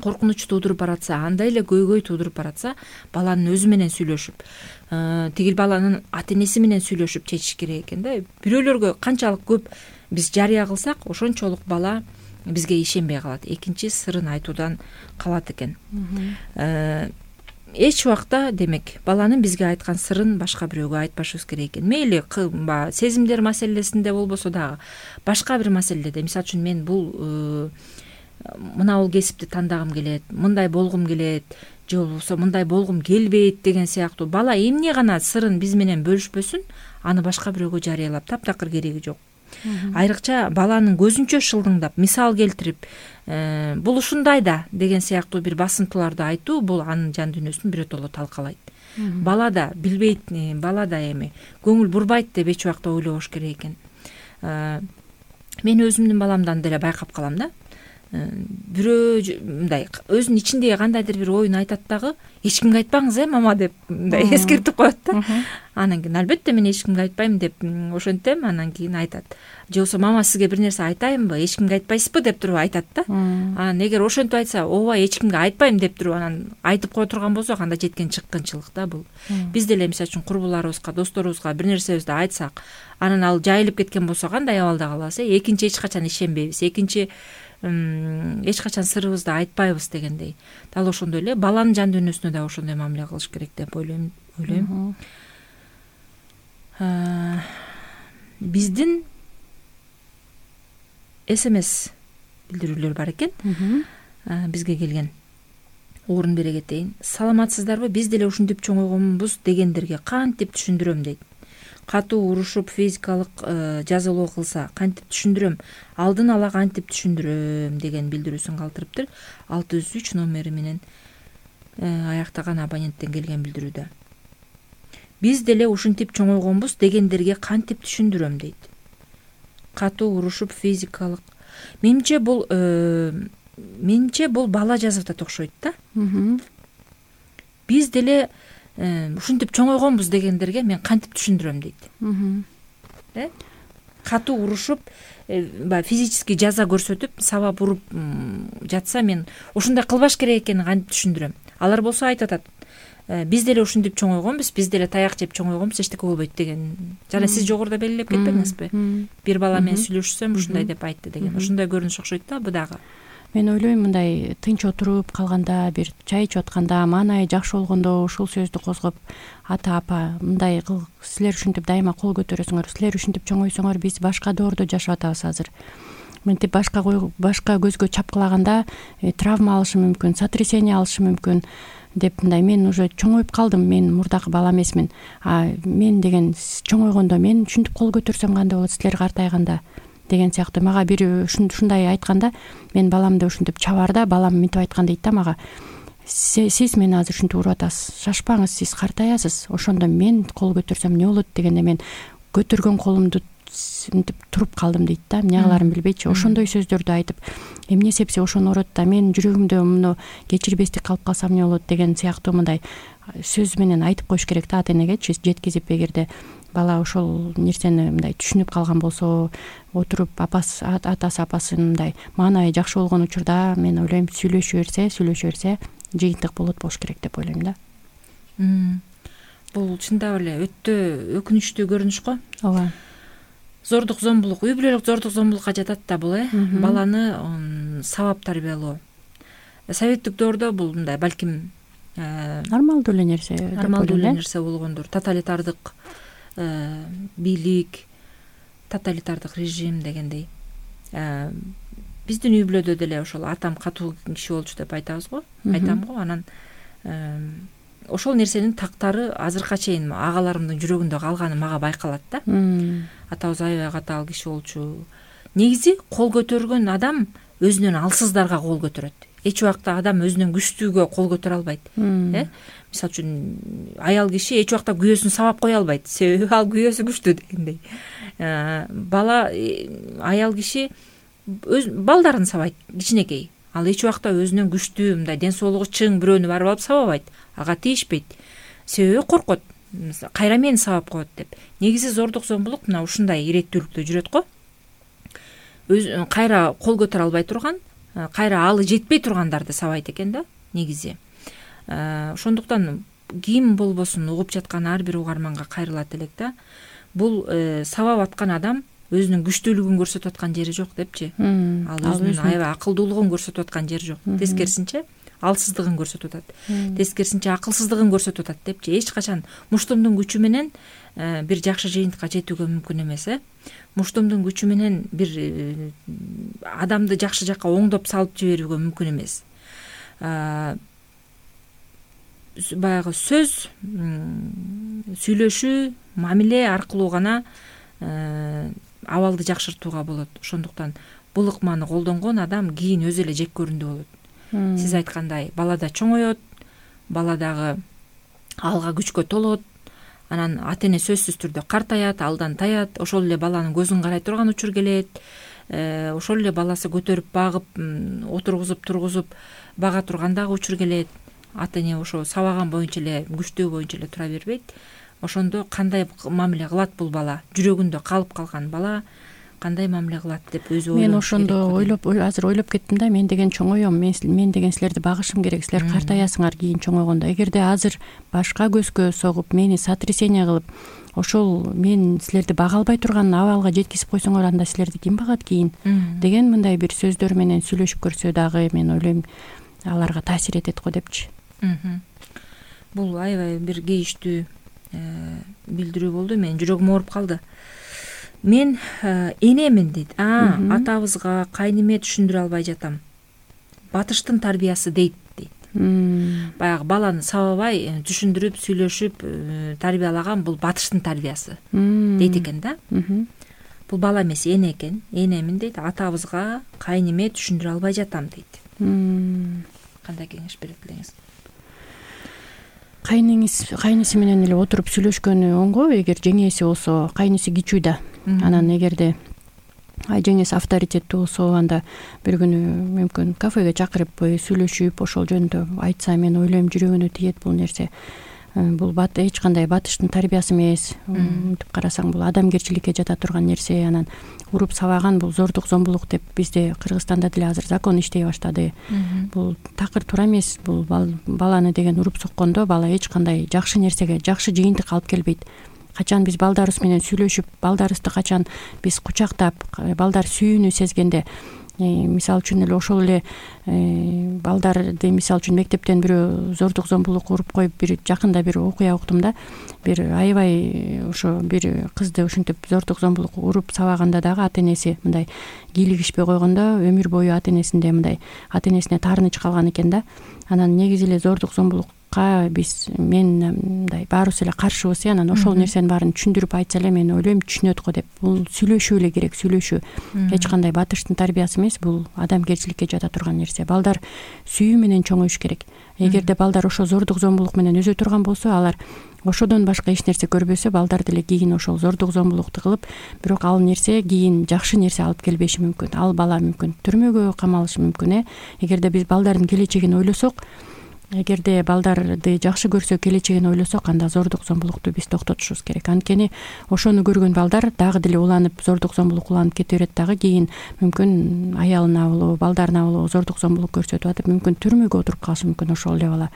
[SPEAKER 2] коркунуч туудуруп баратса, андай эле көйгөй туудуруп баратса, баланын өзү менен сүйлөшүп, тигил баланын ата энеси менен сүйлөшүп чечиш керек экен да. Бирөөлөргө канчалык көп биз жарыя кылсак, ошончолук бала бизге ишенбей калат, экинчи сырын айтуудан калат экен. Эч убакта демек баланын бизге айткан сырын башка бирөөгө айтпашыбыз керек экен. Мейли сезимдер маселесинде болбосо дагы, башка бир маселеде, мисалы үчүн мен мына бул кесипти тандагым келет, мындай болгум келет, же болбосо мындай болгум келбейт деген сыяктуу бала эмне гана сырын биз менен бөлүшпөсүн, аны башка бирөөгө жарыялап таптакыр кереги жок. Айрыкча баланын көзүнчө шылдыңдап, мисал келтирип, бул ушундай да деген сыяктуу бир басымтууларды айтуу, бул анын жан дүйнөсүн биротоло талкалайт. Бала да билбейт, бала да эми көңүл бурбайт деп эч убакта ойлобош керек экен. Мен өзүмдүн баламдан деле байкап калам да. Бирөө мындай өзүнүн ичиндеги кандайдыр бир оюн айтат дагы, эч кимге айтпаңыз мама деп мындай эскертип коет да. Анан кийин албетте мен эч кимге айтпайм деп ошентем, анан кийин айтат. Же болбосо мама сизге бир нерсе айтайынбы, эч кимге айтпайсызбы деп туруп айтат да. Анан эгер ошентип айтса, ооба эч кимге айтпайм деп туруп анан айтып кое турган болсок, анда жеткен чыккынчылык да бул. Биз деле мисалы үчүн курбуларыбызга, досторубузга бир нерсебизди айтсак, анан ал жайылып кеткен болсо кандай абалда калабыз? Экинчи эч качан ишенбейбиз, экинчи эч качан сырыбызды айтпайбыз дегендей. Дал ошондой эле баланын жан дүйнөсүнө да ошондой мамиле кылыш керек деп ойлойм. Биздин SMS билдирүүлөр бар экен. Бизге келген. Орун бере кетейин. Саламатсыздарбы? Биз деле ушинтип чоңойгонбуз дегендерге кантип түшүндүрөм дейт. Катуу урушуп физикалык жазалоо кылса кантип түшүндүрөм, алдын ала кантип түшүндүрөм деген билдирүүсүн калтырыптыр. 603 номери менен аяктаган абоненттен келген билдирүүдө. Биз деле ушинтип чоңойгонбуз дегендерге кантип түшүндүрөм дейт. Катуу урушуп физикалык. Менимче бул бала жазып атат окшойт да. Биз деле ушинтип чоңойгонбуз дегендерге мен кантип түшүндүрөм дейт. Катуу урушуп, физический жаза көрсөтүп, сабап уруп жатса мен ушундай кылбаш керек экенин кантип түшүндүрөм. Алар болсо айтып атат. Биз деле ушинтип чоңойгонбуз, биз деле таяк жеп чоңойгонбуз, эчтеке болбойт деген. Жана сиз жогоруда белгилеп кетпедиңизби? Бир бала менен сүйлөшсөм ушундай деп айтты деген. Ошондой көрүнүш окшойт да бу дагы.
[SPEAKER 3] Мен ойлойм, мындай тынч отуруп калганда, бир чай ичип атканда, маанайы жакшы болгондо ушул сөздү козгоп, ата апа мындай силер ушинтип дайыма кол көтөрөсүңөр, силер ушинтип чоңойсоңор биз башка доордо жашап атабыз азыр. Мынтип башка көзгө чапкылаганда травма алышы мүмкүн, сотрясение алышы мүмкүн деп мындай мен уже чоңоюп калдым, мен мурдакы бала эмесмин. Мен деген чоңойгондо мен ушинтип кол көтөрсөм кандай болот силер картайганда деген сыяктуу мага бири ушундай айтканда, мен баламды ушинтип чабарда, балам мынтип айткан дейт да мага. Сиз мени азыр ушинтип уруп атасыз, шашпаңыз, сиз картаясыз, ошондо мен кол көтөрсөм эмне болот дегенде мен көтөргөн колумду мынтип туруп калдым дейт да. Эмне кылаарын билбейчи. Ошондой сөздөрдү айтып, эмне сепсе ошону урот да, мен жүрөгүмдө муну кечирбестик калып калсам эмне болот деген сыяктуу мындай сөз менен айтып коюш керек да ата энегечи, жеткизип, эгерде бала ошол нерсени мындай түшүнүп калган болсо, отуруп атасы апасы мындай маанайы жакшы болгон учурда мен ойлойм сүйлөшө берсе жыйынтык болуш керек деп ойлойм да.
[SPEAKER 2] Бул чындап эле өтө өкүнүчтүү көрүнүш го.
[SPEAKER 3] Ооба.
[SPEAKER 2] Зордук зомбулук, үй бүлөлүк зордук зомбулукка жатат да бул, баланы сабап тарбиялоо. Советтик доордо бул мындай балким
[SPEAKER 3] нормалдуу эле нерсе
[SPEAKER 2] болгондур. Тоталитардык бийлик, тоталитардык режим дегендей. Биздин үй бүлөдө деле ошол атам катуу киши болчу деп айтабыз го, айтам го. Анан ошол нерсенин тактары азыркыга чейин агаларымдын жүрөгүндө калганы мага байкалат да. Атабыз аябай катаал киши болчу. Негизи кол көтөргөн адам өзүнөн алсыздарга кол көтөрөт. эч убакта адам өзүнүн күчтүүгө кол көтөрө албайт. Мисалы үчүн аял киши эч убакта күйөөсүн сабап кое албайт, себеби ал күйөөсү күчтүү дегендей. Бала аял киши өз балдарын сабайт, кичинекей. Ал эч убакта өзүнүн күчтүү, мындай ден соолугу чың бирөөнү барып алып сабабайт, ага тийишпейт. Себеби коркот, кайра мени сабап коет деп. Негизи зордук зомбулук мына ушундай иреттүүлүктө жүрөт го. Кайра кол көтөрө албай турган, кайра алы жетпей тургандарды сабайт экен да негизи. Ошондуктан ким болбосун угуп жаткан ар бир угарманга кайрылат элек да. Бул сабап аткан адам өзүнүн күчтүүлүгүн көрсөтүп аткан жери жок депчи. Ал өзүнүн аябай акылдуулугун көрсөтүп аткан жери жок. Тескерисинче алсыздыгын көрсөтүп атат. Тескерисинче акылсыздыгын көрсөтүп атат депчи. Эч качан муштумдун күчү менен бир жакшы жыйынтыкка жетүүгө мүмкүн эмес. Муштумдун күчү менен бир адамды жакшы жакка оңдоп салып жиберүүгө мүмкүн эмес. Баягы сөз, сүйлөшүү, мамиле аркылуу гана абалды жакшыртууга болот. Ошондуктан бул ыкманы колдонгон адам кийин өзү эле жек көрүндүү болот. Сиз айткандай, бала да чоңоет, бала дагы алга күчкө толот, анан ата эне сөзсүз түрдө картаят, алдан таят, ошол эле баланын көзүн карай турган учур келет. Ошол эле баласы көтөрүп багып, отургузуп тургузуп бага турган дагы учур келет. Ата эне ошо сабаган боюнча эле, күчтүү боюнча эле тура бербейт. Ошондо кандай мамиле кылат бул бала? Жүрөгүндө калып калган бала кандай мамиле кылат деп өзү ойлонуш керек.
[SPEAKER 3] Мен ошондо азыр ойлоп кеттим да, мен деген чоңойом, мен деген силерди багышым керек, силер картаясыңар кийин чоңойгондо. Эгерде азыр башка көзгө согуп, мени сотрясение кылып, ошол мен силерди бага албай турган абалга жеткизип койсоңор, анда силерди ким багат кийин деген мындай бир сөздөр менен сүйлөшүп көрсө дагы, мен ойлойм аларга таасир этет го депчи.
[SPEAKER 2] Бул аябай бир кейиштүү билдирүү болду. Менин жүрөгүм ооруп калды. Мен энемин дейт. Атабызга, кайнеме түшүндүрө албай жатам. Батыштын тарбиясы дейт. Баягы баланы сабабай түшүндүрүп, сүйлөшүп тарбиялаган бул батыштын тарбиясы дейт экен да. Бул бала эмес, эне экен. Энемин дейт. Атабызга, кайнеме түшүндүрө албай жатам дейт. Кандай кеңеш берет элеңиз?
[SPEAKER 3] Кайнысы менен эле отуруп сүйлөшкөнү оңго, эгер жеңеси болсо, кайнысы кичүү да. Анан эгерде жеңеси авторитеттүү болсо, анда бир күнү мүмкүн кафеге чакырып сүйлөшүп, ошол жөнүндө айтса, мен ойлойм жүрөгүнө тиет бул нерсе. Бул эч кандай батыштын тарбиясы эмес. Мынтип карасаң, бул адамгерчиликке жата турган нерсе. Анан уруп сабаган бул зордук зомбулук деп бизде Кыргызстанда деле азыр закон иштей баштады. Бул такыр туура эмес. Бул баланы деген уруп соккондо бала эч кандай жакшы нерсеге, жакшы жыйынтык алып келбейт. Качан биз балдарыбыз менен сүйлөшүп, балдарыбызды качан биз кучактап, балдар сүйүүнү сезгенде, мисалы үчүн эле ошол эле балдарды, мисалы үчүн мектептен бирөө зордук зомбулук уруп коюп, бир жакында бир окуя уктум да, бир аябай ошо бир кызды ушинтип зордук зомбулук уруп сабаганда дагы ата энеси мындай кийлигишпей койгондо өмүр бою ата энесинде мындай ата энесине таарыныч калган экен да. Анан негизи эле зордук зомбулукка мен мындай баарыбыз эле каршыбыз. Анан ошол нерсенин баарын түшүндүрүп айтса эле, мен ойлойм түшүнөт го деп. Бул сүйлөшүү эле керек, сүйлөшүү. Эч кандай батыштын тарбиясы эмес, бул адамгерчиликке жата турган нерсе. Балдар сүйүү менен чоңоюш керек. Эгерде балдар ошо зордук зомбулук менен өсө турган болсо, алар ошодон башка эч нерсе көрбөсө, балдар деле кийин ошол зордук зомбулукту кылып, бирок ал нерсе кийин жакшы нерсе алып келбеши мүмкүн. Ал бала мүмкүн түрмөгө камалышы мүмкүн. Эгерде биз балдардын келечегин ойлосок, эгерде балдарды жакшы көрсө, келечегин ойлосок, анда зордук зомбулукту биз токтотушубуз керек. Анткени ошону көргөн балдар дагы деле уланып, зордук зомбулук уланып кете берет дагы, кийин мүмкүн аялына болобу, балдарына болобу зордук зомбулук көрсөтүп атып, мүмкүн түрмөгө отуруп калышы мүмкүн ошол эле бала.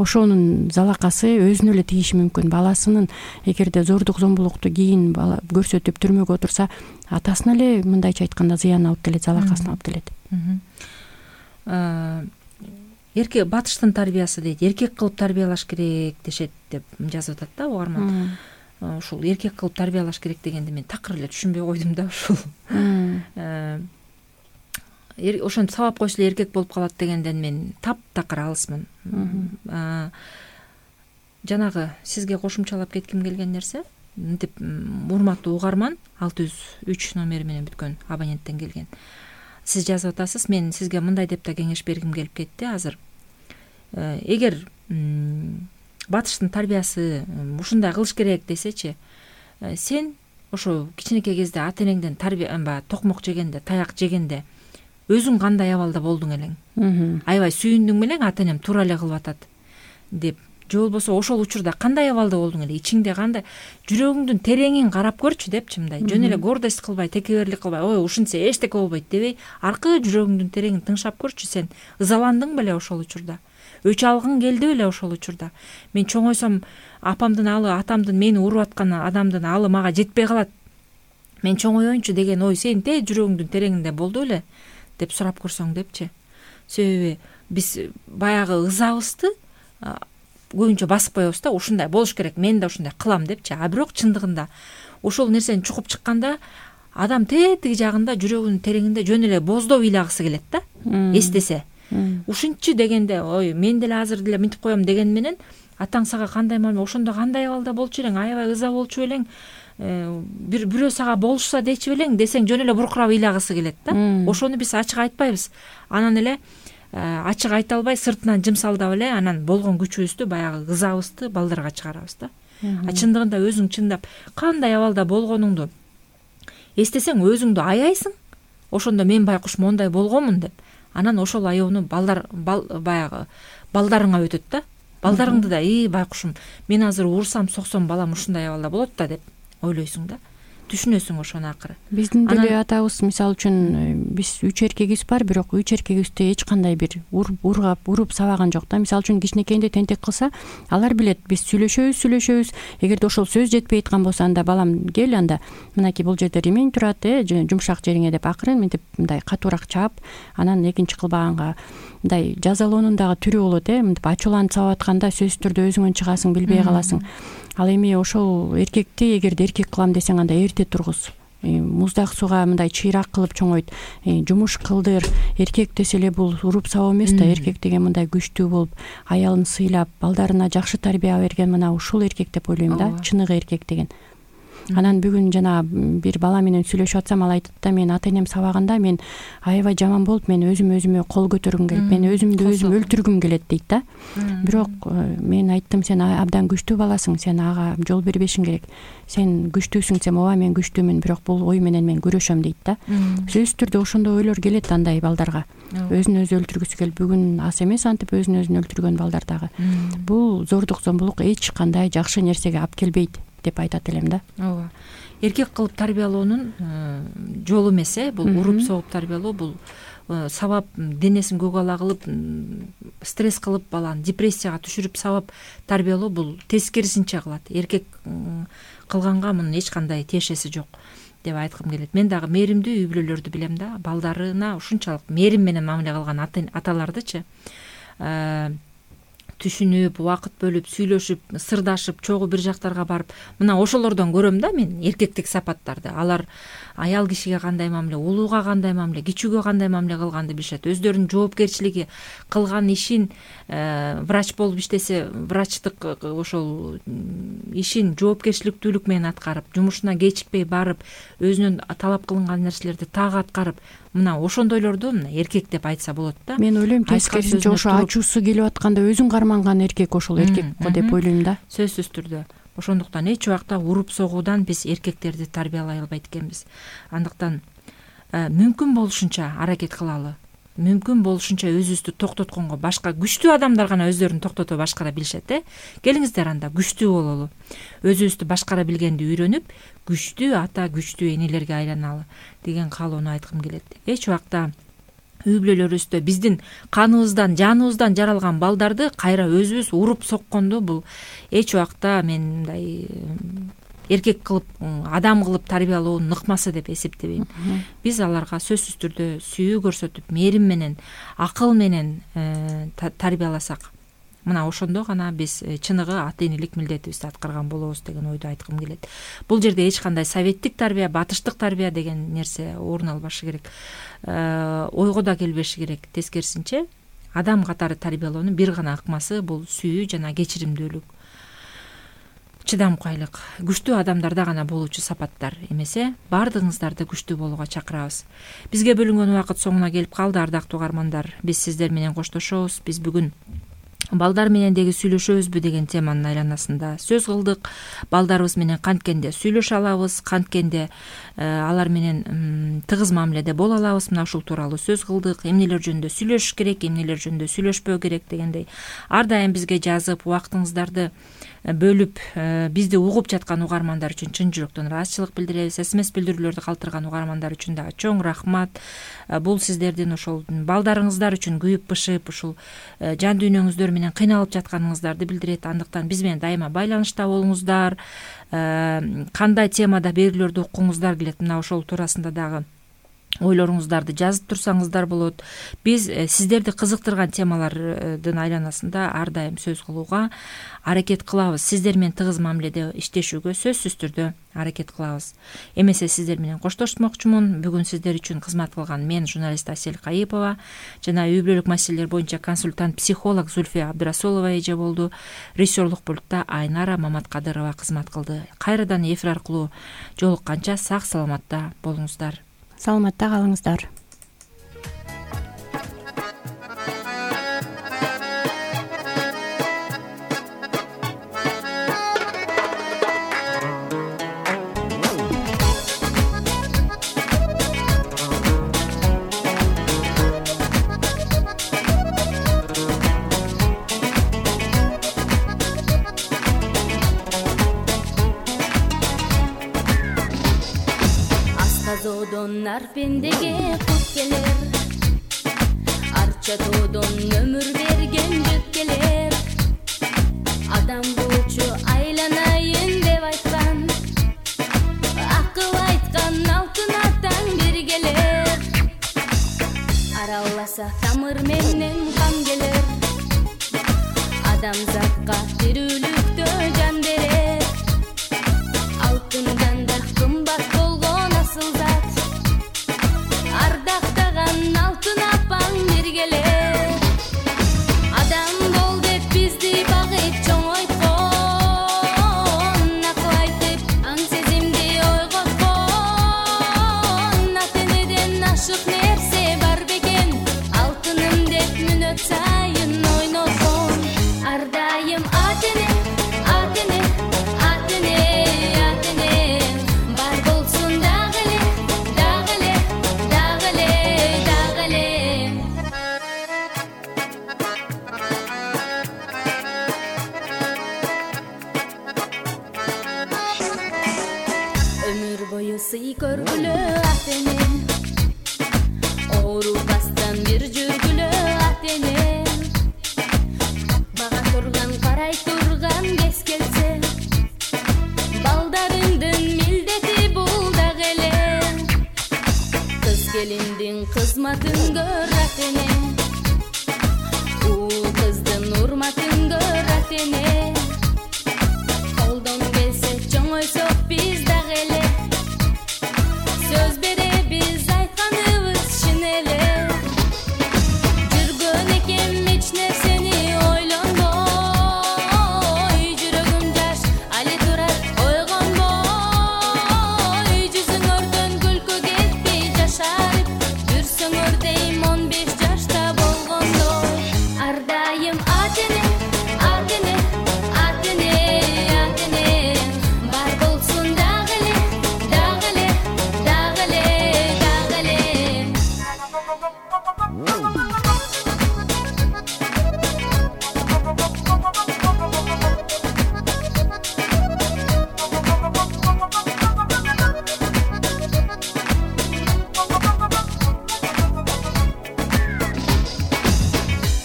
[SPEAKER 3] Ошонун залакасы өзүнө эле тийиши мүмкүн. Баласынын эгерде зордук зомбулукту кийин бала көрсөтүп түрмөгө отурса, атасына эле мындайча айтканда зыян алып келет, залакасын алып келет.
[SPEAKER 2] Эркек батыштын тарбиясы дейт, эркек кылып тарбиялаш керек дешет деп жазып атат да угарман. Ушул эркек кылып тарбиялаш керек дегенди мен такыр эле түшүнбөй койдум да ушул. Ошентип сабап койсо эле эркек болуп калат дегенден мен таптакыр алысмын. Жанагы сизге кошумчалап кетким келген нерсе, мынтип урматтуу угарман 603 номери менен бүткөн абоненттен келген. сиз жазып атасыз. Мен сизге мындай деп да кеңеш бергим келип кетти азыр. Эгер батыштын тарбиясы ушундай кылыш керек десечи, сен ошо кичинекей кезде ата энеңден токмок жегенде, таяк жегенде өзүң кандай абалда болдуң элең? Аябай сүйүндүң белең, ата энем туура эле кылып атат деп, же болбосо ошол учурда кандай абалда болдуң эле? Ичиңде кандай, жүрөгүңдүн тереңин карап көрчү депчи, мындай жөн эле гордость кылбай, текеберлик кылбай, ой ушинтсе эчтеке болбойт дебей, аркы жүрөгүңдүн тереңин тыңшап көрчү. Сен ызаландың беле ошол учурда? Өч алгың келди беле ошол учурда? Мен чоңойсом апамдын алы, атамдын мени уруп аткан адамдын алы мага жетпей калат, мен чоңоёюнчу деген ой сенин жүрөгүңдүн тереңинде болду беле деп сурап көрсөң депчи. Себеби биз баягы ызабызды көбүнчө басып коебуз да, ушундай болуш керек, мен да ушундай кылам депчи. А бирок чындыгында ошол нерсени чукуп чыкканда адам тетиги жагында жүрөгүнүн тереңинде жөн эле боздоп ыйлагысы келет да, эстесе. Ушинчи дегенде, ой мен деле азыр деле мынтип коем деген менен атаң сага кандай мамиле, ошондо кандай абалда болчу элең, аябай ыза болчу элең, бирөө сага болушса дечи белең десең жөн эле буркурап ыйлагысы келет да. Ошону биз ачык айтпайбыз. Анан эле ачык айта албай сыртынан жымсалдап эле анан болгон күчүбүздү, баягы ызабызды балдарга чыгарабыз да. А чындыгында өзүң чындап кандай абалда болгонуңду эстесең өзүңдү аяйсың. Ошондо мен байкуш мондай болгонмун деп, анан ошол аяоону баягы балдарыңа өтөт да. Балдарыңды да, байкушум, мен азыр урсам, соксом балам ушундай абалда болот да деп ойлойсуң да. Түшүнөсүң ошону акыры. Биздин
[SPEAKER 3] деле атабыз, мисалы үчүн, биз 3 эркегибиз бар, бирок 3 эркегибизди эч кандай бир уруп сабаган жок да. Мисалы үчүн кичинекейинде тентек кылса, алар билет, биз сүйлөшөбүз. Эгерде ошол сөз жетпей аткан болсо, анда балам кел, анда мынакей бул жерде ремень турат, жумшак жериңе деп акырын мынтип мындай катуураак чаап, анан экинчи кылбаганга мындай жазалоонун дагы түрү болот, мынтип ачууланып сабап атканда сөзсүз түрдө өзүңөн чыгасың, билбей каласың. Ал эми ошол эркекти эгерде эркек кылам десең, анда эрте тургуз. Муздак сууга мындай чыйрак кылып чоңойт, жумуш кылдыр. Эркек десе эле бул уруп сабоо эмес да. Эркек деген мындай күчтүү болуп, аялын сыйлап, балдарына жакшы тарбия берген мына ушул эркек деп ойлойм да, чыныгы эркек деген. Анан бүгүн жана бир бала менен сүйлөшүп атсам, ал айтат да, мен ата энем сабаганда мен аябай жаман болуп, мен өзүмө кол көтөргүм келип, мен өзүмдү өзүм өлтүргүм келет дейт да. Бирок мен айттым, сен абдан күчтүү баласың, сен ага жол бербешиң керек. Сен күчтүүсүң, сен ооба мен күчтүүмүн, бирок бул ой менен мен күрөшөм дейт да. Сөзсүз түрдө ошондой ойлор келет андай балдарга. Өзүн өзү өлтүргүсү келип, бүгүн аз эмес антип өзүн өзүн өлтүргөн балдар дагы. Бул зордук, зомбулук эч кандай жакшы нерсеге алып келбейт деп айтат элем да.
[SPEAKER 2] Ооба. Эркек кылып тарбиялоонун жолу эмес, бул уруп согуп тарбиялоо, бул сабап денесин көгала кылып, стресс кылып, баланы депрессияга түшүрүп сабап тарбиялоо, бул тескерисинче кылат. Эркек кылганга мунун эч кандай тиешеси жок деп айткым келет. Мен дагы мээримдүү үй бүлөлөрдү билем да, балдарына ушунчалык мээрим менен мамиле кылган аталардычы. Түшүнүп, убакыт бөлүп, сүйлөшүп, сырдашып, чогуу бир жактарга барып, мына ошолордон көрөм да мен эркектик сапаттарды. Алар аял кишиге кандай мамиле, улууга кандай мамиле, кичүүгө кандай мамиле кылганды билишет. Өздөрүнүн жоопкерчилиги, кылган ишин, врач болуп иштесе, врачтык ошол ишин жоопкерчиликтүүлүк менен аткарып, жумушуна кечикпей барып, өзүнүн талап кылынган нерселерди так аткарып, мына ошондойлорду мына эркек деп айтса болот да.
[SPEAKER 3] Мен ойлойм, тескерисинче ошо ачуусу келип атканда өзүн карманган эркек ошол эркек го деп ойлойм да.
[SPEAKER 2] Сөзсүз түрдө. Ошондуктан эч убакта уруп согуудан биз эркектерди тарбиялай албайт экенбиз. Андыктан мүмкүн болушунча аракет кылалы. Мүмкүн болушунча өзүбүздү токтотконго, башка күчтүү адамдар гана өздөрүн токтото башкара билишет, Келиңиздер анда күчтүү бололу. Өзүбүздү башкара билгенди үйрөнүп, күчтүү ата, күчтүү энелерге айланалы деген каалоону айткым келет. Эч убакта үй бүлөлөрүбүздө биздин каныбыздан, жаныбыздан жаралган балдарды кайра өзүбүз уруп сокконду бул эч убакта мен мындай эркек кылып, адам кылып тарбиялоонун ыкмасы деп эсептебейм. Биз аларга сөзсүз түрдө сүйүү көрсөтүп, мээрим менен, акыл менен тарбияласак, мына ошондо гана биз чыныгы ата энелик милдетибизди аткарган болобуз деген ойду айткым келет. Бул жерде эч кандай советтик тарбия, батыштык тарбия деген нерсе орун албашы керек, ойго да келбеши керек. Тескерисинче, адам катары тарбиялоонун бир гана ыкмасы бул сүйүү жана кечиримдүүлүк. чыдамкайлык күчтүү адамдарда гана болуучу сапаттар эмесе, баардыгыңыздарды күчтүү болууга чакырабыз. Бизге бөлүнгөн убакыт соңуна келип калды, ардактуу угармандар. Биз сиздер менен коштошобуз. Биз бүгүн балдар менен деги сүйлөшөбүзбү деген теманын айланасында сөз кылдык. Балдарыбыз менен канткенде сүйлөшө алабыз, канткенде алар менен тыгыз мамиледе боло алабыз, мына ушул тууралуу сөз кылдык. Эмнелер жөнүндө сүйлөшүш керек, эмнелер жөнүндө сүйлөшпөө керек дегендей ар дайым бизге жазып, убактыңыздарды бөлүп бизди угуп жаткан угармандар үчүн чын жүрөктөн ыраазычылык билдиребиз. СМС билдирүүлөрдү калтырган угармандар үчүн дагы чоң рахмат. Бул сиздердин ошол балдарыңыздар үчүн күйүп бышып, ушул жан дүйнөңүздөр менен кыйналып жатканыңыздарды билдирет. Андыктан биз менен дайыма байланышта болуңуздар. Кандай темада берүүлөрдү уккуңуздар келет, мына ошол туурасында дагы ойлоруңуздарды жазып турсаңыздар болот. Биз сиздерди кызыктырган темалардын айланасында ар дайым сөз кылууга аракет кылабыз. Сиздер менен тыгыз мамиледе иштешүүгө сөзсүз түрдө аракет кылабыз. Эмесе сиздер менен коштошмокчумун. Бүгүн сиздер үчүн кызмат кылган мен журналист Асель Кайыпова жана үй бүлөлүк маселелер боюнча консультант психолог Зульфия Абдрасулова эже болду. Режиссерлук пультта Айнара Маматкадырова кызмат кылды. Кайрадан эфир аркылуу жолукканча сак саламатта болуңуздар.
[SPEAKER 3] Саламатта калыңыздар.
[SPEAKER 4] Арпендеге кут келер, арча тоодон өмүр берген жүк келер. Адам болчу айланайын деп айткан, акыл айткан алтын атаң бир келер. Араласа тамыр менен кан келер, адамзатка тирүүлүктө жан берер. Алтындан да кымбат болгон асыл зат, ардактаган алтын апаң бир келер. Адам бол деп бизди багып чоңойткон, акыл айтып аң сезимди ойготкон. Ата-энеден ашык нерсе бар бекен, алтыным деп мүнөт сайын ойношон. Ар дайым ата-эне, ата-эне, ата-эне, ата-эне бар болсун дагы эле, дагы эле, дагы эле, дагы эле. Өмүр бою сый көргүлө ата-эне, оорубастан бир жүргүлө ата-эне. Бага турган, карай турган кез келсе, балдарыңдын милдети бул дагы эле. Кыз келиндин кызматын көр ата-эне, уул кыздын урматын көр ата-эне. Колдон келсе чоңойсок биз дагы эле, сөз беребиз айтканыбыз чын эле. Жүргөн экем эч нерсени ойлонбой, жүрөгүм жаш али турат ойгонбой. Жүзүңөрдөн күлкү кетпей жашарып жүрсөңөр дейм 15 жашта болгондой. Ар дайым ата-эне, ата-эне, ата-эне, ата-эне бар болсун дагы эле, дагы эле, дагы эле, дагы эле.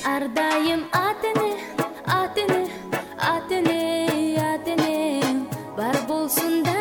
[SPEAKER 4] Ар дайым ата-эне, ата-эне, ата-эне, ата-эне бар болсун да